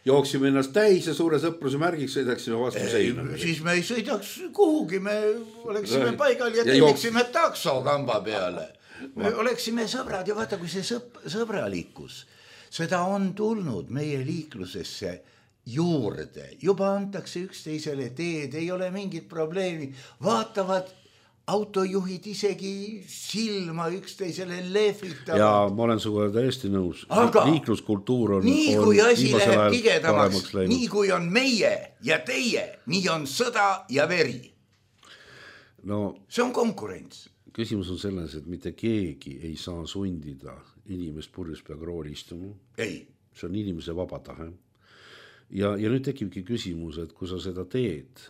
jooksime ennast täis ja suure sõpruse märgiks sõidaksime vastu seina. Siis me ei sõidaks kuhugi, me oleksime paigal ja telliksime takso kamba peale. Me oleksime sõbrad ja vaata, kui see sõbralikkus, seda on tulnud meie liiklusesse juurde. Juba antakse üksteisele teed, ei ole mingit probleemi. Vaatavad autojuhid isegi silma üksteisele lehvitavad. Ja ma olen suga täiesti nõus. Aga liikluskultuur on nii kui asi läheb tigedamaks, nii kui on meie ja teie, nii on sõda ja veri. See on konkurents. Küsimus on selles, et mitte keegi ei saa sundida inimest purjus peaga rooli istuma. Ei. See on inimese vaba tahe. Ja nüüd tekibki küsimus, et kui sa seda teed,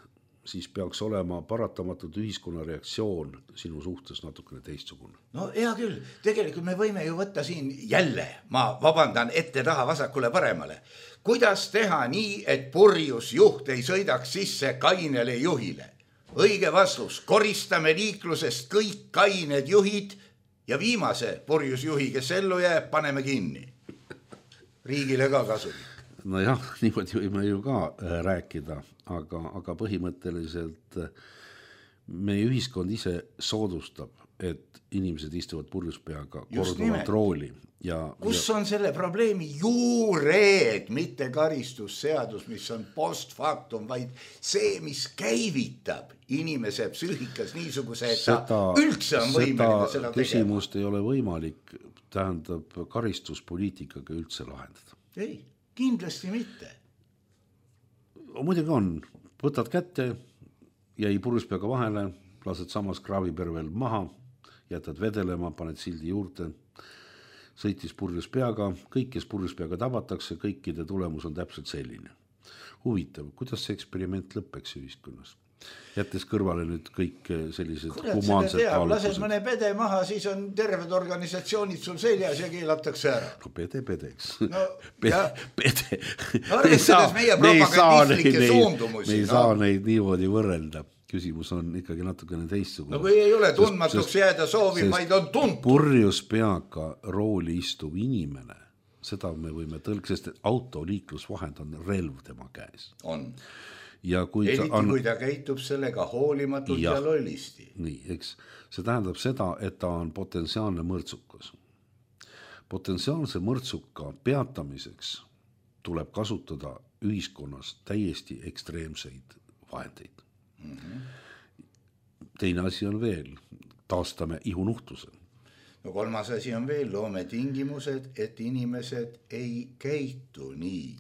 siis peaks olema paratamatult ühiskonna reaktsioon sinu suhtes natukene teistsugune. No hea küll, tegelikult me võime ju võtta siin jälle, ma vabandan ette taha vasakule paremale. Kuidas teha nii, et purjus juht ei sõidaks sisse kainele juhile? Õige vastus, koristame liiklusest kõik kained juhid ja viimase purjus juhi, kes ellu jääb, paneme kinni. Riigile ka kasulik. Nojah, niimoodi võime ju ka rääkida, aga põhimõtteliselt meie ühiskond ise soodustab, et inimesed istuvad purjuspeaga korduvalt rooli. Kus on selle probleemi juured, mitte karistusseadus, mis on post factum, vaid see, mis käivitab inimese psüühikas niisuguse, et ta üldse on võimeline seda tegema. Küsimust ei ole võimalik, tähendab, karistuspoliitikaga üldse lahendada. Ei, kindlasti mitte. Muidugi on, võtad kätte, jäi purjuspeaga vahele, lased samas kraavipervel maha, jätad vedelema, paned sildi juurde, sõitis purjuspeaga, kõik, kes purjuspeaga tabatakse, kõikide tulemus on täpselt selline. Huvitav, kuidas see eksperiment lõppeks ühiskonnas? Jättes kõrvale nüüd kõik sellised humaansed lased mõne pede maha, siis on terved organisatsioonid sul seljas ja keelatakse ära. No pedeks. No, pede. Arvestades meie propagandistlikke suundumusi. Me ei saa neid niimoodi võrrelda. Küsimus on ikkagi natukene teistsugune. No kui ei ole tundmatuks jääda soovi, vaid on tuntud. Purjuspeaga rooli istuv inimene, seda me võime sest autoliiklusvahend on relv tema käes. On. Ja kui kui ta käitub sellega hoolimatult ja lollisti. Nii, eks. See tähendab seda, et ta on potentsiaalne mõrtsukas. Potentsiaalse mõrtsuka peatamiseks tuleb kasutada ühiskonnas täiesti ekstreemseid vahendeid. Teine asi on veel, taastame ihunuhtuse. No kolmas asi on veel, loome tingimused, et inimesed ei käitu nii.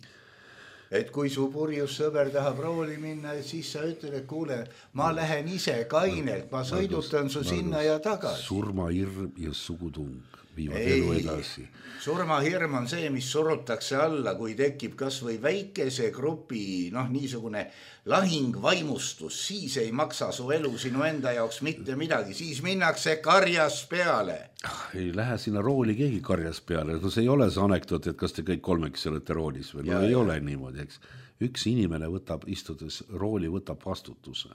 Et kui su purjus sõber tahab rooli minna, siis sa ütled, et kuule, ma lähen ise kainelt, ma sõidutan su sinna ja tagasi. Surmahirm ja sugutung viivad elu edasi. Surmahirm on see, mis surutakse alla, kui tekib kas või väikese grupi, niisugune lahingvaimustus, siis ei maksa su elu sinu enda jaoks mitte midagi, siis minnakse karjas peale. Ei lähe sinna rooli keegi karjas peale, no see ei ole see anekdoot, et kas te kõik kolmeks olete roolis või, ei ole niimoodi, eks. Üks inimene istudes rooli võtab vastutuse.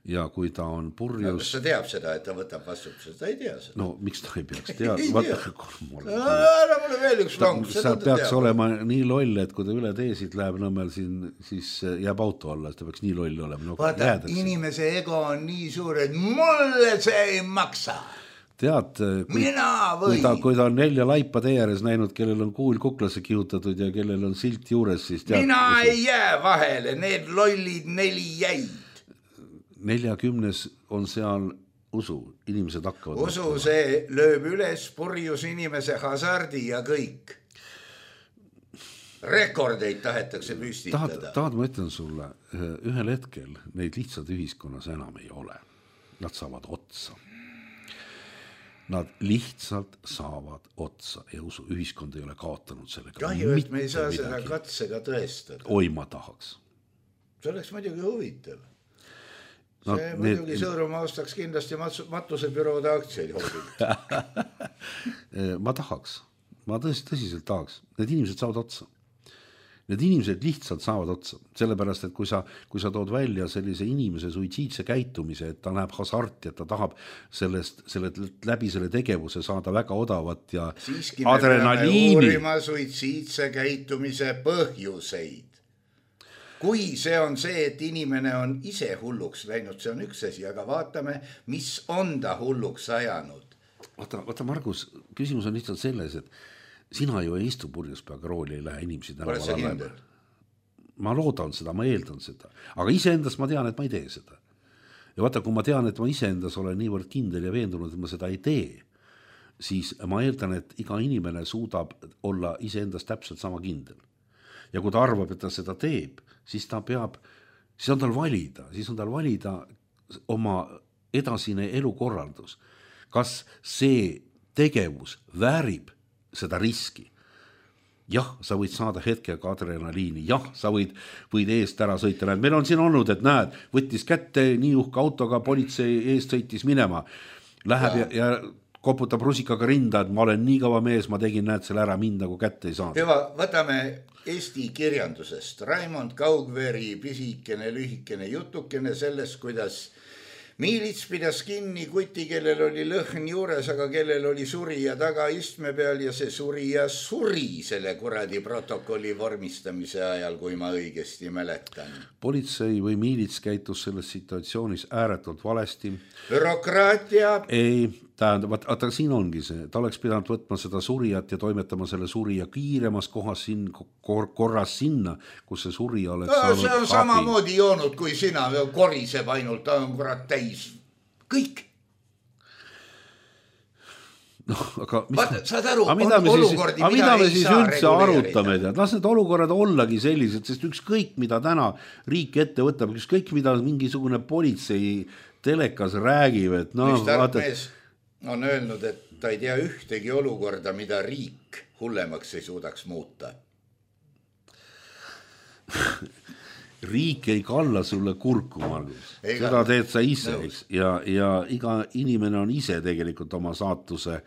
Ja kui ta on purjus... Kas ta teab seda, et ta võtab vastutuse? Ta ei tea seda. No, miks ta ei peaks teada? Ära mulle veel üks long. Sa peaks olema nii loll, et kui ta üle teesid läheb nõmmel siin, siis jääb auto alla, siis ta peaks nii loll olema. Vaata, inimese ego on nii suur, et mulle see ei maksa. Tead, kui ta on 4 laipa tee ääres näinud, kellel on kuul kuklasse kihutatud ja kellel on silt juures, siis tead... Mina ei jää vahele, need lollid 4 jäid. 40 on seal usu, inimesed hakkavad... Usu see lööb üles purjus inimese hasardi ja kõik. Rekordeid tahetakse püstitada. Tahad ma ütlen sulle, ühel hetkel neid lihtsalt ühiskonnas enam ei ole. Nad saavad otsa. Nad lihtsalt saavad otsa ja usu, ühiskond ei ole kaotanud sellega. Kahju, et me ei saa seda katsega tõestada. Oi, ma tahaks. See oleks muidugi huvitav. See muidugi Sõõrumaa ostaks kindlasti matusebüroode aktsiaid hoopil. Ma tahaks. Ma tõsiselt tahaks. Need inimesed saavad otsa. Need inimesed lihtsalt saavad otsa. Sellepärast, et kui sa tood välja sellise inimese suitsiidse käitumise, et ta näeb hasarti, et ta tahab läbi selle tegevuse saada väga odavat ja siiski adrenaliini. Me peame uurima suitsiidse käitumise põhjuseid. Kui see on see, et inimene on ise hulluks läinud, see on üks asi, aga vaatame, mis on ta hulluks ajanud. Vaata Margus, küsimus on lihtsalt selles, et sina ju ei istu purjuspeaga rooli, ei lähe inimesi tänaval alla. Ma loodan seda, ma eeldan seda. Aga iseendas ma tean, et ma ei tee seda. Ja vaata, kui ma tean, et ma iseendas olen niivõrd kindel ja veendunud, et ma seda ei tee, siis ma eeldan, et iga inimene suudab olla iseendas täpselt sama kindel. Ja kui ta arvab, et ta seda teeb, siis on tal valida oma edasine elukorraldus. Kas see tegevus väärib seda riski? Jah, sa võid saada hetkega adrenaliini. Jah, sa võid eest ära sõita. Meil on siin olnud, et näed, võttis kätte nii uhka autoga, politsei eest sõitis minema. Läheb ja koputab rusikaga rinda, et ma olen nii kaua mees, ma tegin näed selle ära, mind nagu kätte ei saanud. Hüva, võtame Eesti kirjandusest. Raimond Kaugveri pisikene, lühikene jutukene sellest, kuidas miilits pidas kinni kuti, kellel oli lõhn juures, aga kellel oli surija taga istme peal ja see surija suri selle kuradi protokolli vormistamise ajal, kui ma õigesti mäletan. Politsei või miilits käitus selles situatsioonis ääretult valesti. Bürokraatia. Ei, tähendab, vaata siin ongi see, ta oleks pidanud võtma seda surijat ja toimetama selle surija kiiremas kohas korras sinna, kus see surija oleks saanud see on samamoodi joonud kui sina, koriseb ainult, ta on kurat täis. Kõik. Aga saad aru, mida me siis üldse arutame, las need olukorrad ollagi sellised, sest ükskõik mida täna riik ette võtab, ükskõik mida mingisugune politsei telekas räägib, et üks tarkmees on öelnud, et ta ei tea ühtegi olukorda, mida riik hullemaks ei suudaks muuta. Riik ei kalla sulle kurku, Margus. Seda teed sa ise, eks? Ja iga inimene on ise tegelikult oma saatuse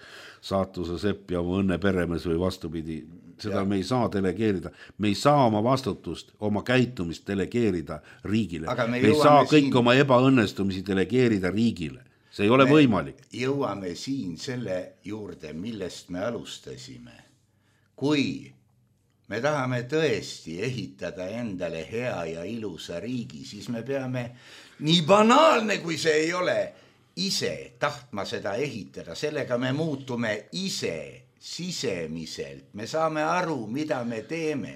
sepp ja oma õnne peremees või vastupidi. Seda me ei saa delegeerida. Me ei saa oma vastutust, oma käitumist delegeerida riigile. Me ei saa kõik oma ebaõnnestumisi delegeerida riigile. See ei ole võimalik. Jõuame siin selle juurde, millest me alustasime. Kui me tahame tõesti ehitada endale hea ja ilusa riigi, siis me peame, nii banaalne kui see ei ole, ise tahtma seda ehitada. Sellega me muutume ise sisemiselt. Me saame aru, mida me teeme.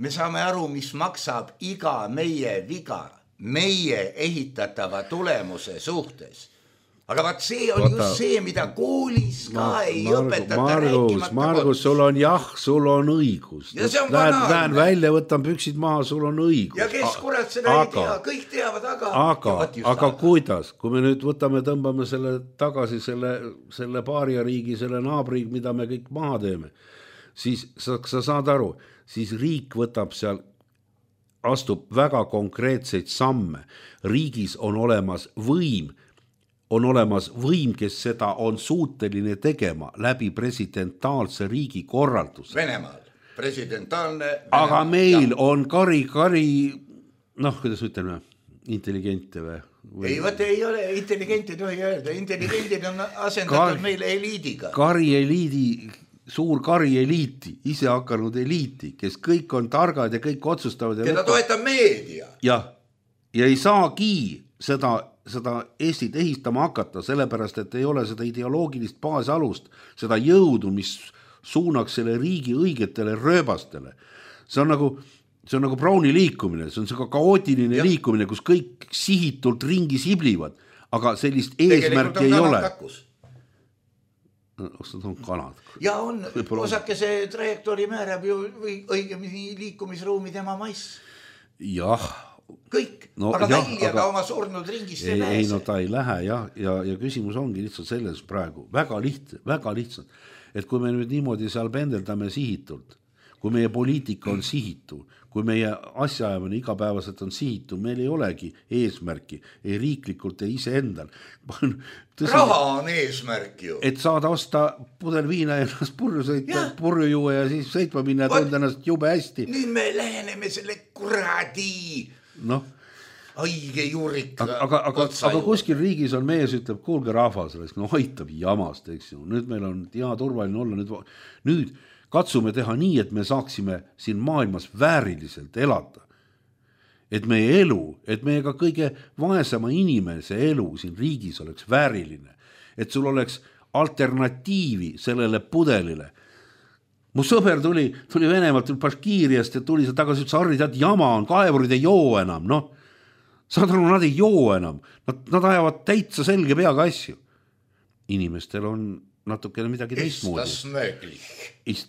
Me saame aru, mis maksab iga meie viga, meie ehitatava tulemuse suhtes. Aga vaat see on just see, mida koolis ka ei õpetata rääkimata. Margus, sul on sul on õigus. Ja see on banaalne. Lähen välja, võtan püksid maha, sul on õigus. Ja kes kurat seda ei tea, kõik teavad, aga kuidas? Kui me nüüd tõmbame selle tagasi selle paariariigi, selle naabriigi, mida me kõik maha teeme, siis sa saad aru, siis riik võtab seal, astub väga konkreetseid samme. Riigis on olemas võim, kes seda on suuteline tegema läbi presidentaalse riigi korralduse. Venemaal, presidentaalne. Aga meil on kari, kuidas ütleme, intelligente või? Ei ole, intelligente tohi öelda. Intelligentid on asendatud meile eliidiga. Suur kari eliiti, ise hakanud eliiti, kes kõik on targad ja kõik otsustavad. Keda toetab meedia. Ja ei saagi seda Eestit ehistama hakata, sellepärast, et ei ole seda ideoloogilist baasalust, seda jõudu, mis suunaks selle riigi õigetele rööbastele. See on nagu Browni liikumine, see on see kaootiline liikumine, kus kõik sihitult ringi siblivad, aga sellist eesmärki ei ole. Osad on kanad. Ja on, osake see trajektoori määrab ju õigemini liikumisruumi tema maiss. Jah. Kõik, aga välja ka oma surnud ringist ei pääse. Ei, ta ei lähe, ja küsimus ongi lihtsalt selles praegu. Väga lihtsalt. Et kui me nüüd niimoodi seal pendeldame sihitult, kui meie poliitika on sihitu, kui meie asjaajamine igapäevaselt on sihitu, meil ei olegi eesmärki, ei riiklikult, ei ise endal. Raha on eesmärk ju. Et saada osta pudel viina ja ennast purju juua ja siis sõitma minna ja tunda ennast jube hästi. Nüüd me läheneme selle kuradi õige juurik. Aga kuskil riigis on mees, ütleb, kuulge rahvas, hoitab jamast, eks ju. Nüüd meil on hea turvaline olla. Nüüd katsume teha nii, et me saaksime siin maailmas vääriliselt elada. Et meie elu, et meie ka kõige vaesema inimese elu siin riigis oleks vääriline. Et sul oleks alternatiivi sellele pudelile. Mu sõber tuli Venemaalt Baškiiriast ja tuli tagasi, ütles, Harri, tead, jama on, kaevurid ei joo enam, saad aru, nad ei joo enam, nad ajavad täitsa selge peaga asju. Inimestel on natukene midagi teistmoodi.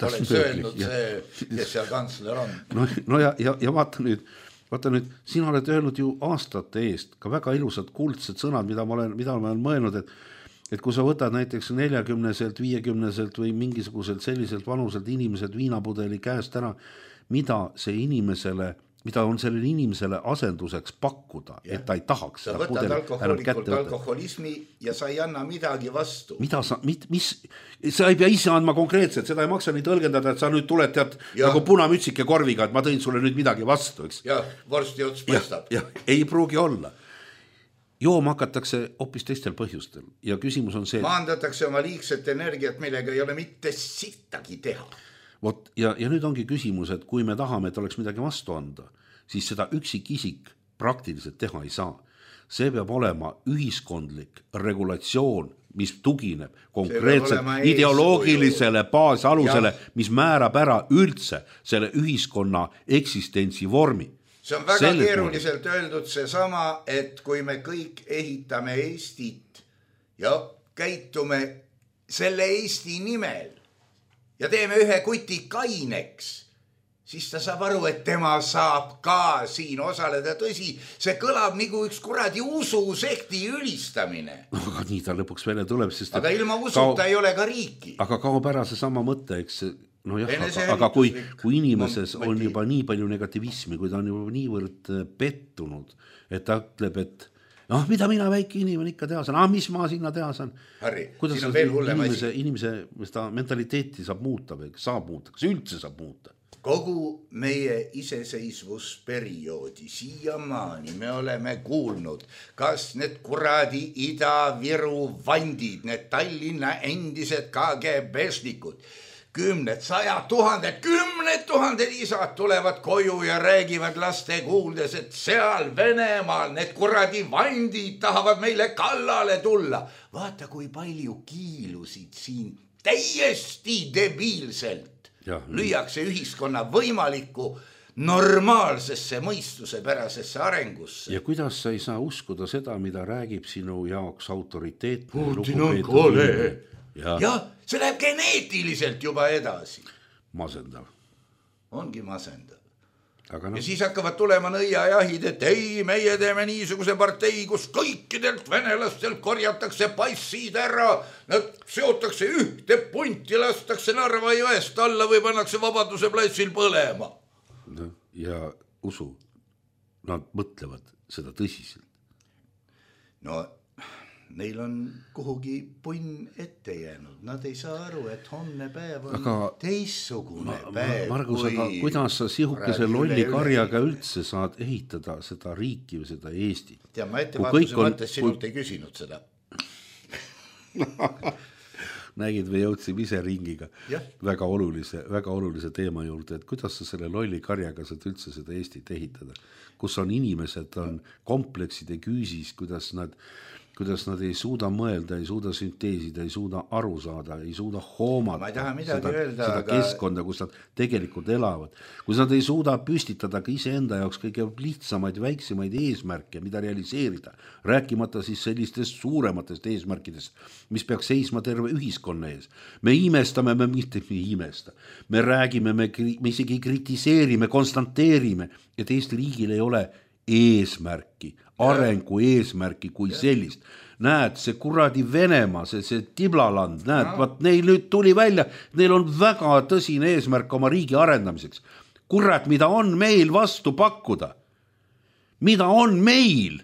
Oleks öelnud see, kes seal kantsler on. Ja vaata nüüd, sina oled öelnud ju aastate eest ka väga ilusad kuldsed sõnad, mida ma olen mõelnud, et kui sa võtad näiteks 40-selt, 50-selt või mingisuguselt selliselt vanuselt inimesed viinapudeli käest ära, mida on sellele inimesele asenduseks pakkuda, et ta ei tahaks sa võtad alkoholismi ja sa ei anna midagi vastu. Sa ei pea ise andma konkreetselt, seda ei maksa nii tõlgendada, et sa nüüd tuled nagu punamütsike korviga, et ma tõin sulle nüüd midagi vastu, eks? Ja, vorsti ots paistab. Ei pruugi olla. Jooma hakatakse hoopis teistel põhjustel ja küsimus on see. Maandatakse oma liigset energiat, millega ei ole mitte sittagi teha. Ja nüüd ongi küsimus, et kui me tahame, et oleks midagi vastu anda, siis seda üksikisik praktiliselt teha ei saa. see peab olema ühiskondlik regulatsioon, mis tugineb konkreetselt ideoloogilisele baasalusele, mis määrab ära üldse selle ühiskonna eksistentsi vormi. See on väga keeruliselt öeldud seesama, et kui me kõik ehitame Eestit ja käitume selle Eesti nimel ja teeme ühe kuti kaineks, siis ta saab aru, et tema saab ka siin osaleda. Tõsi, see kõlab nagu üks kuradi ususekti ülistamine. Aga nii ta lõpuks välja tuleb. Sest aga ilma usuta ei ole ka riiki. Aga kaob ära see sama mõte, eks no jah, aga kui inimeses on juba nii palju negativismi, kui ta on juba niivõrd pettunud, et ta ütleb, et mida mina väike inimene ikka teha saan, mis ma sinna teha saan. Harri, kuidas siin on veel hullem asi. Inimese mentaliteeti saab muuta või saab muuta, kas üldse saab muuta? Kogu meie iseseisvusperioodi siiamaani me oleme kuulnud, kas need kuradi Ida-Viru vandid, need Tallinna endised KGB-šnikud, 10 000 isad tulevad koju ja räägivad laste kuuldes, et seal Venemaal need kuradi vandid tahavad meile kallale tulla. Vaata, kui palju kiilusid siin täiesti debiilselt lüüakse ühiskonna võimalikku normaalsesse mõistusepärasesse arengusse. Ja kuidas sa ei saa uskuda seda, mida räägib sinu jaoks autoriteetne Putin on kole. Ja see läheb geneetiliselt juba edasi. Masendav. Ongi masendav. No. Ja siis hakkavad tulema nõiajahid, et ei, meie teeme niisuguse partei, kus kõikidelt venelastelt korjatakse passid ära, nad seotakse ühte punti, lastakse Narva jõest alla või pannakse Vabaduse platsil põlema. Ja usu, nad mõtlevad seda tõsiselt. No, neil on kuhugi punn ette jäänud. Nad ei saa aru, et homne päev on teissugune päev. Margus, aga kuidas sa sihukese lolli karjaga üldse saad ehitada seda riiki või seda Eestit? Ja ma ettevaatuse mõttes sinult ei küsinud seda. Nägid või jõudsime ise ringiga väga olulise teema juurde, et kuidas sa selle lolli karjaga saad üldse seda Eestit ehitada, kus on inimesed, on komplekside küüsis, kuidas nad ei suuda mõelda, ei suuda sünteesida, ei suuda aru saada, ei suuda hoomata seda keskkonda, kus nad tegelikult elavad. Kus nad ei suuda püstitada ka iseenda jaoks kõige lihtsamaid, väiksemaid eesmärke, mida realiseerida. Rääkimata siis sellistest suurematest eesmärkidest, mis peaks seisma terve ühiskonna ees. Me imestame, me imesta. Me räägime, me isegi kritiseerime, konstanteerime, et Eesti riigil ei ole eesmärki, arengu eesmärki kui sellist. Näed, see kuradi Venemaa, see Tiblaland, näed, neil nüüd tuli välja, neil on väga tõsine eesmärk oma riigi arendamiseks. Kurat, mida on meil vastu pakkuda? Mida on meil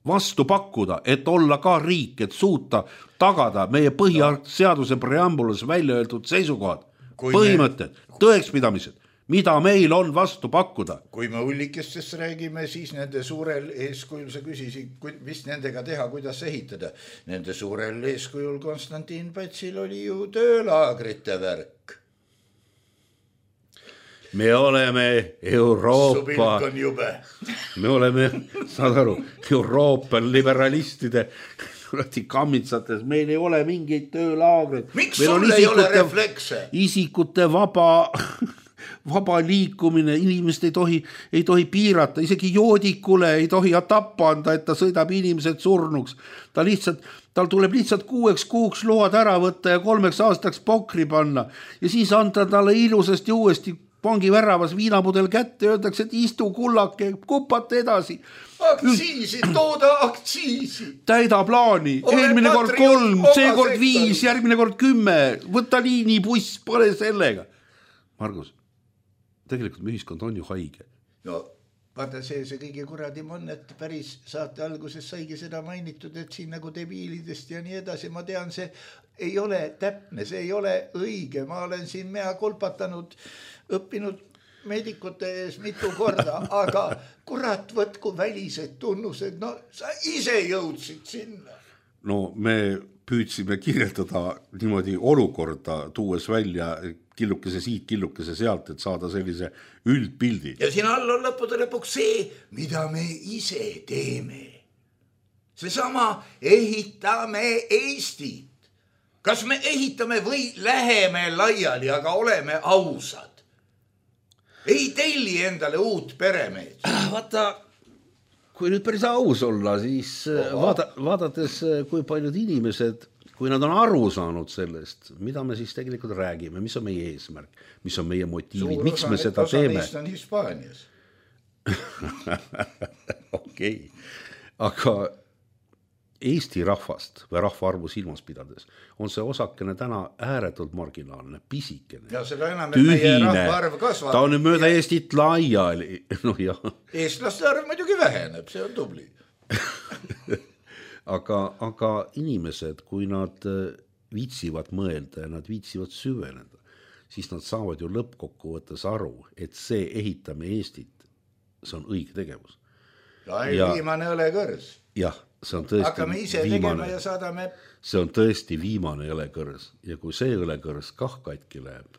vastu pakkuda, et olla ka riik, et suuta tagada meie põhiseaduse preambulas välja öeldud seisukohad, põhimõtted, tõekspidamised? Mida meil on vastu pakkuda? Kui me ullikestest räägime, siis nende suurel eeskujul, sa küsisid, mis nendega teha, kuidas ehitada. Nende suurel eeskujul Konstantin Pätsil oli ju töölaagrite värk. Me oleme Euroopa, me oleme, saad aru, Euroopa liberalistide kammitsates, meil ei ole mingeid töölaagreid. Miks sul ei ole reflekse? Isikute vaba liikumine, inimest ei tohi piirata, isegi joodikule ei tohi tappa anda, et ta sõidab inimesed surnuks. Tal tuleb lihtsalt 6 kuuks load ära võtta ja 3 aastaks pokri panna ja siis anda talle ilusasti uuesti pangi väravas viinapudel kätte, öeldakse, et istu kullake, kupata edasi. Aktsiisi, tooda aktsiisi. Täida plaani, eelmine kord 3, seekord 5, järgmine kord 10, võta liinibuss, pole sellega. Margus, tegelikult me ühiskond on ju haige. No, vaata see kõige kuradim on, et päris saate alguses saigi seda mainitud, et siin nagu debiilidest ja nii edasi. Ma tean, see ei ole täpne, see ei ole õige. Ma olen siin mea kolpatanud, õppinud medikute ees mitu korda, aga kurat, võtku välised tunnused. No sa ise jõudsid sinna. No me püüdsime kirjeldada niimoodi olukorda, tuues välja killukese siit, killukese sealt, et saada sellise üldpildi. Ja siin all on lõppude lõpuks see, mida me ise teeme. seesama ehitame Eestit. Kas me ehitame või läheme laiali, aga oleme ausad? Ei telli endale uut peremeed. Vaata, kui nüüd päris aus olla, siis vaadates, kui paljud inimesed, kui nad on aru saanud sellest, mida me siis tegelikult räägime, mis on meie eesmärk, mis on meie motiivid, miks me seda teeme. Suur osa neist on Hispaanias. Okei. Aga Eesti rahvast või rahvaarvu silmas pidades on see osakene täna ääretult marginaalne, pisikene, ja seda enam, et meie rahvaarv kasvab. Ta on nüüd mööda Eestit laiali. No, eestlaste arv muidugi väheneb, see on tubli. aga inimesed, kui nad viitsivad mõelda ja nad viitsivad süveneda, siis nad saavad ju lõppkokkuvõttes aru, et see ehitame Eestit, see on õige tegevus. Viimane õlekõrs. Jah, see on tõesti hakkame ise tegema ja saadame. See on tõesti viimane õlekõrs ja kui see õlekõrs kah katki läheb,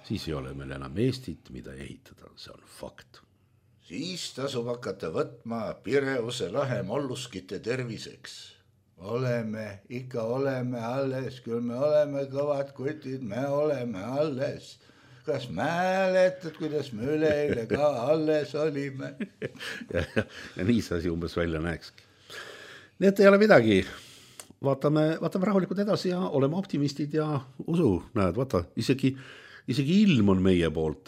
siis ei ole meil enam Eestit, mida ehitada, see on fakt. Siis tasub hakata võtma Pireuse lahe molluskite terviseks. Ikka oleme alles, küll me oleme kõvad kutid, me oleme alles. Kas mäletad, kuidas me üleeile ka alles olime? ja nii see asi umbes välja näekski. Nii et ei ole midagi. Vaatame rahulikult edasi ja oleme optimistid ja usu. Näed, vaata, isegi ilm on meie poolt.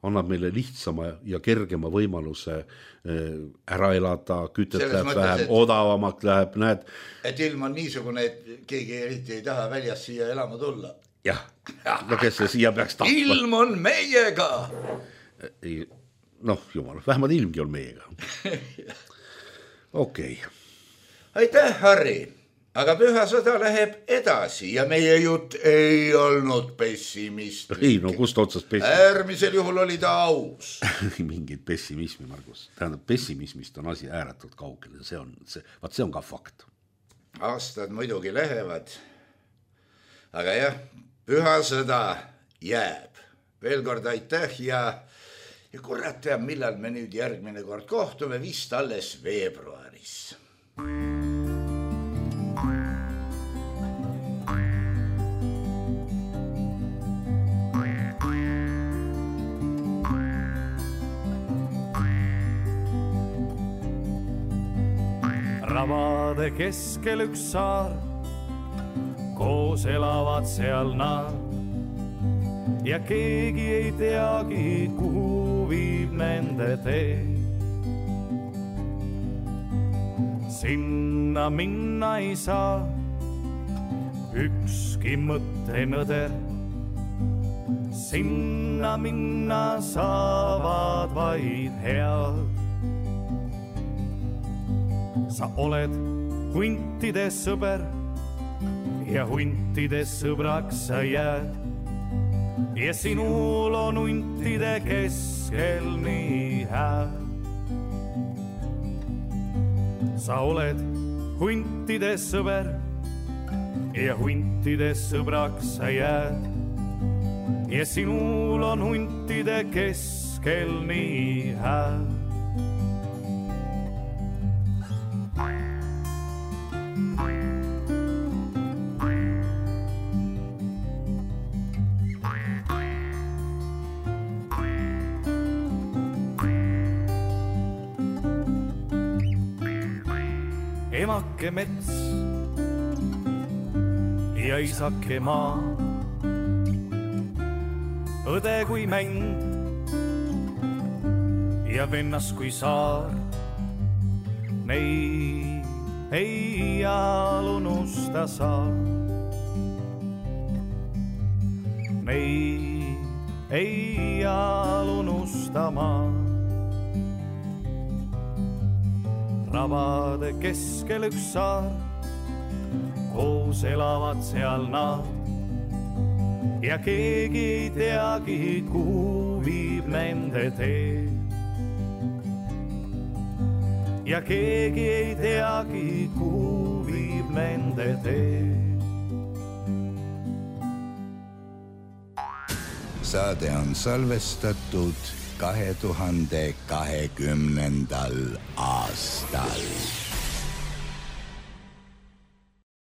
Annab meile lihtsama ja kergema võimaluse ära elada, kütet läheb vähem, odavamalt läheb, näed. Et ilm on niisugune, et keegi eriti ei taha väljas siia elama tulla. Jah, no kes see siia peaks tahtma. Ilm on meiega. Noh, jumal, vähemalt ilmgi on meiega. Okei. Aitäh, Harri. Aga püha sõda läheb edasi ja meie jutt ei olnud pessimistlik. Ei, no kust otsast pessimism? Äärmisel juhul oli ta aus. Mingid pessimismi, Margus. Tähendab, pessimismist on asi ääretult kaugel. See on ka fakt. Aastad muidugi lähevad. Aga jah, püha sõda jääb. Veel kord aitäh ja kurat teab, millal me nüüd järgmine kord kohtume, vist alles veebruaris. Ravade keskel üks saar, koos elavad seal nad ja keegi ei teagi, kuhu viib nende tee. Sinna minna ei saa ükski mõttenõder, sinna minna saavad vaid head. Sa oled huntide sõber ja huntide sõbraks sa jääd. Ja sinul on huntide keskel nii hää. Sa oled huntide sõber ja huntide sõbraks sa jääd. Ja sinul on huntide keskel nii hää. Emake mets ja isake maa, õde kui mänd ja vennas kui saar. Neid ei iial unusta saa. Neid ei iial unusta maa. Ravade keskel üks saar, koos elavad seal nad ja keegi ei teagi, kuhu viib nende tee. Ja keegi ei teagi, kuhu viib nende tee. Saade on salvestatud 2020. aastal.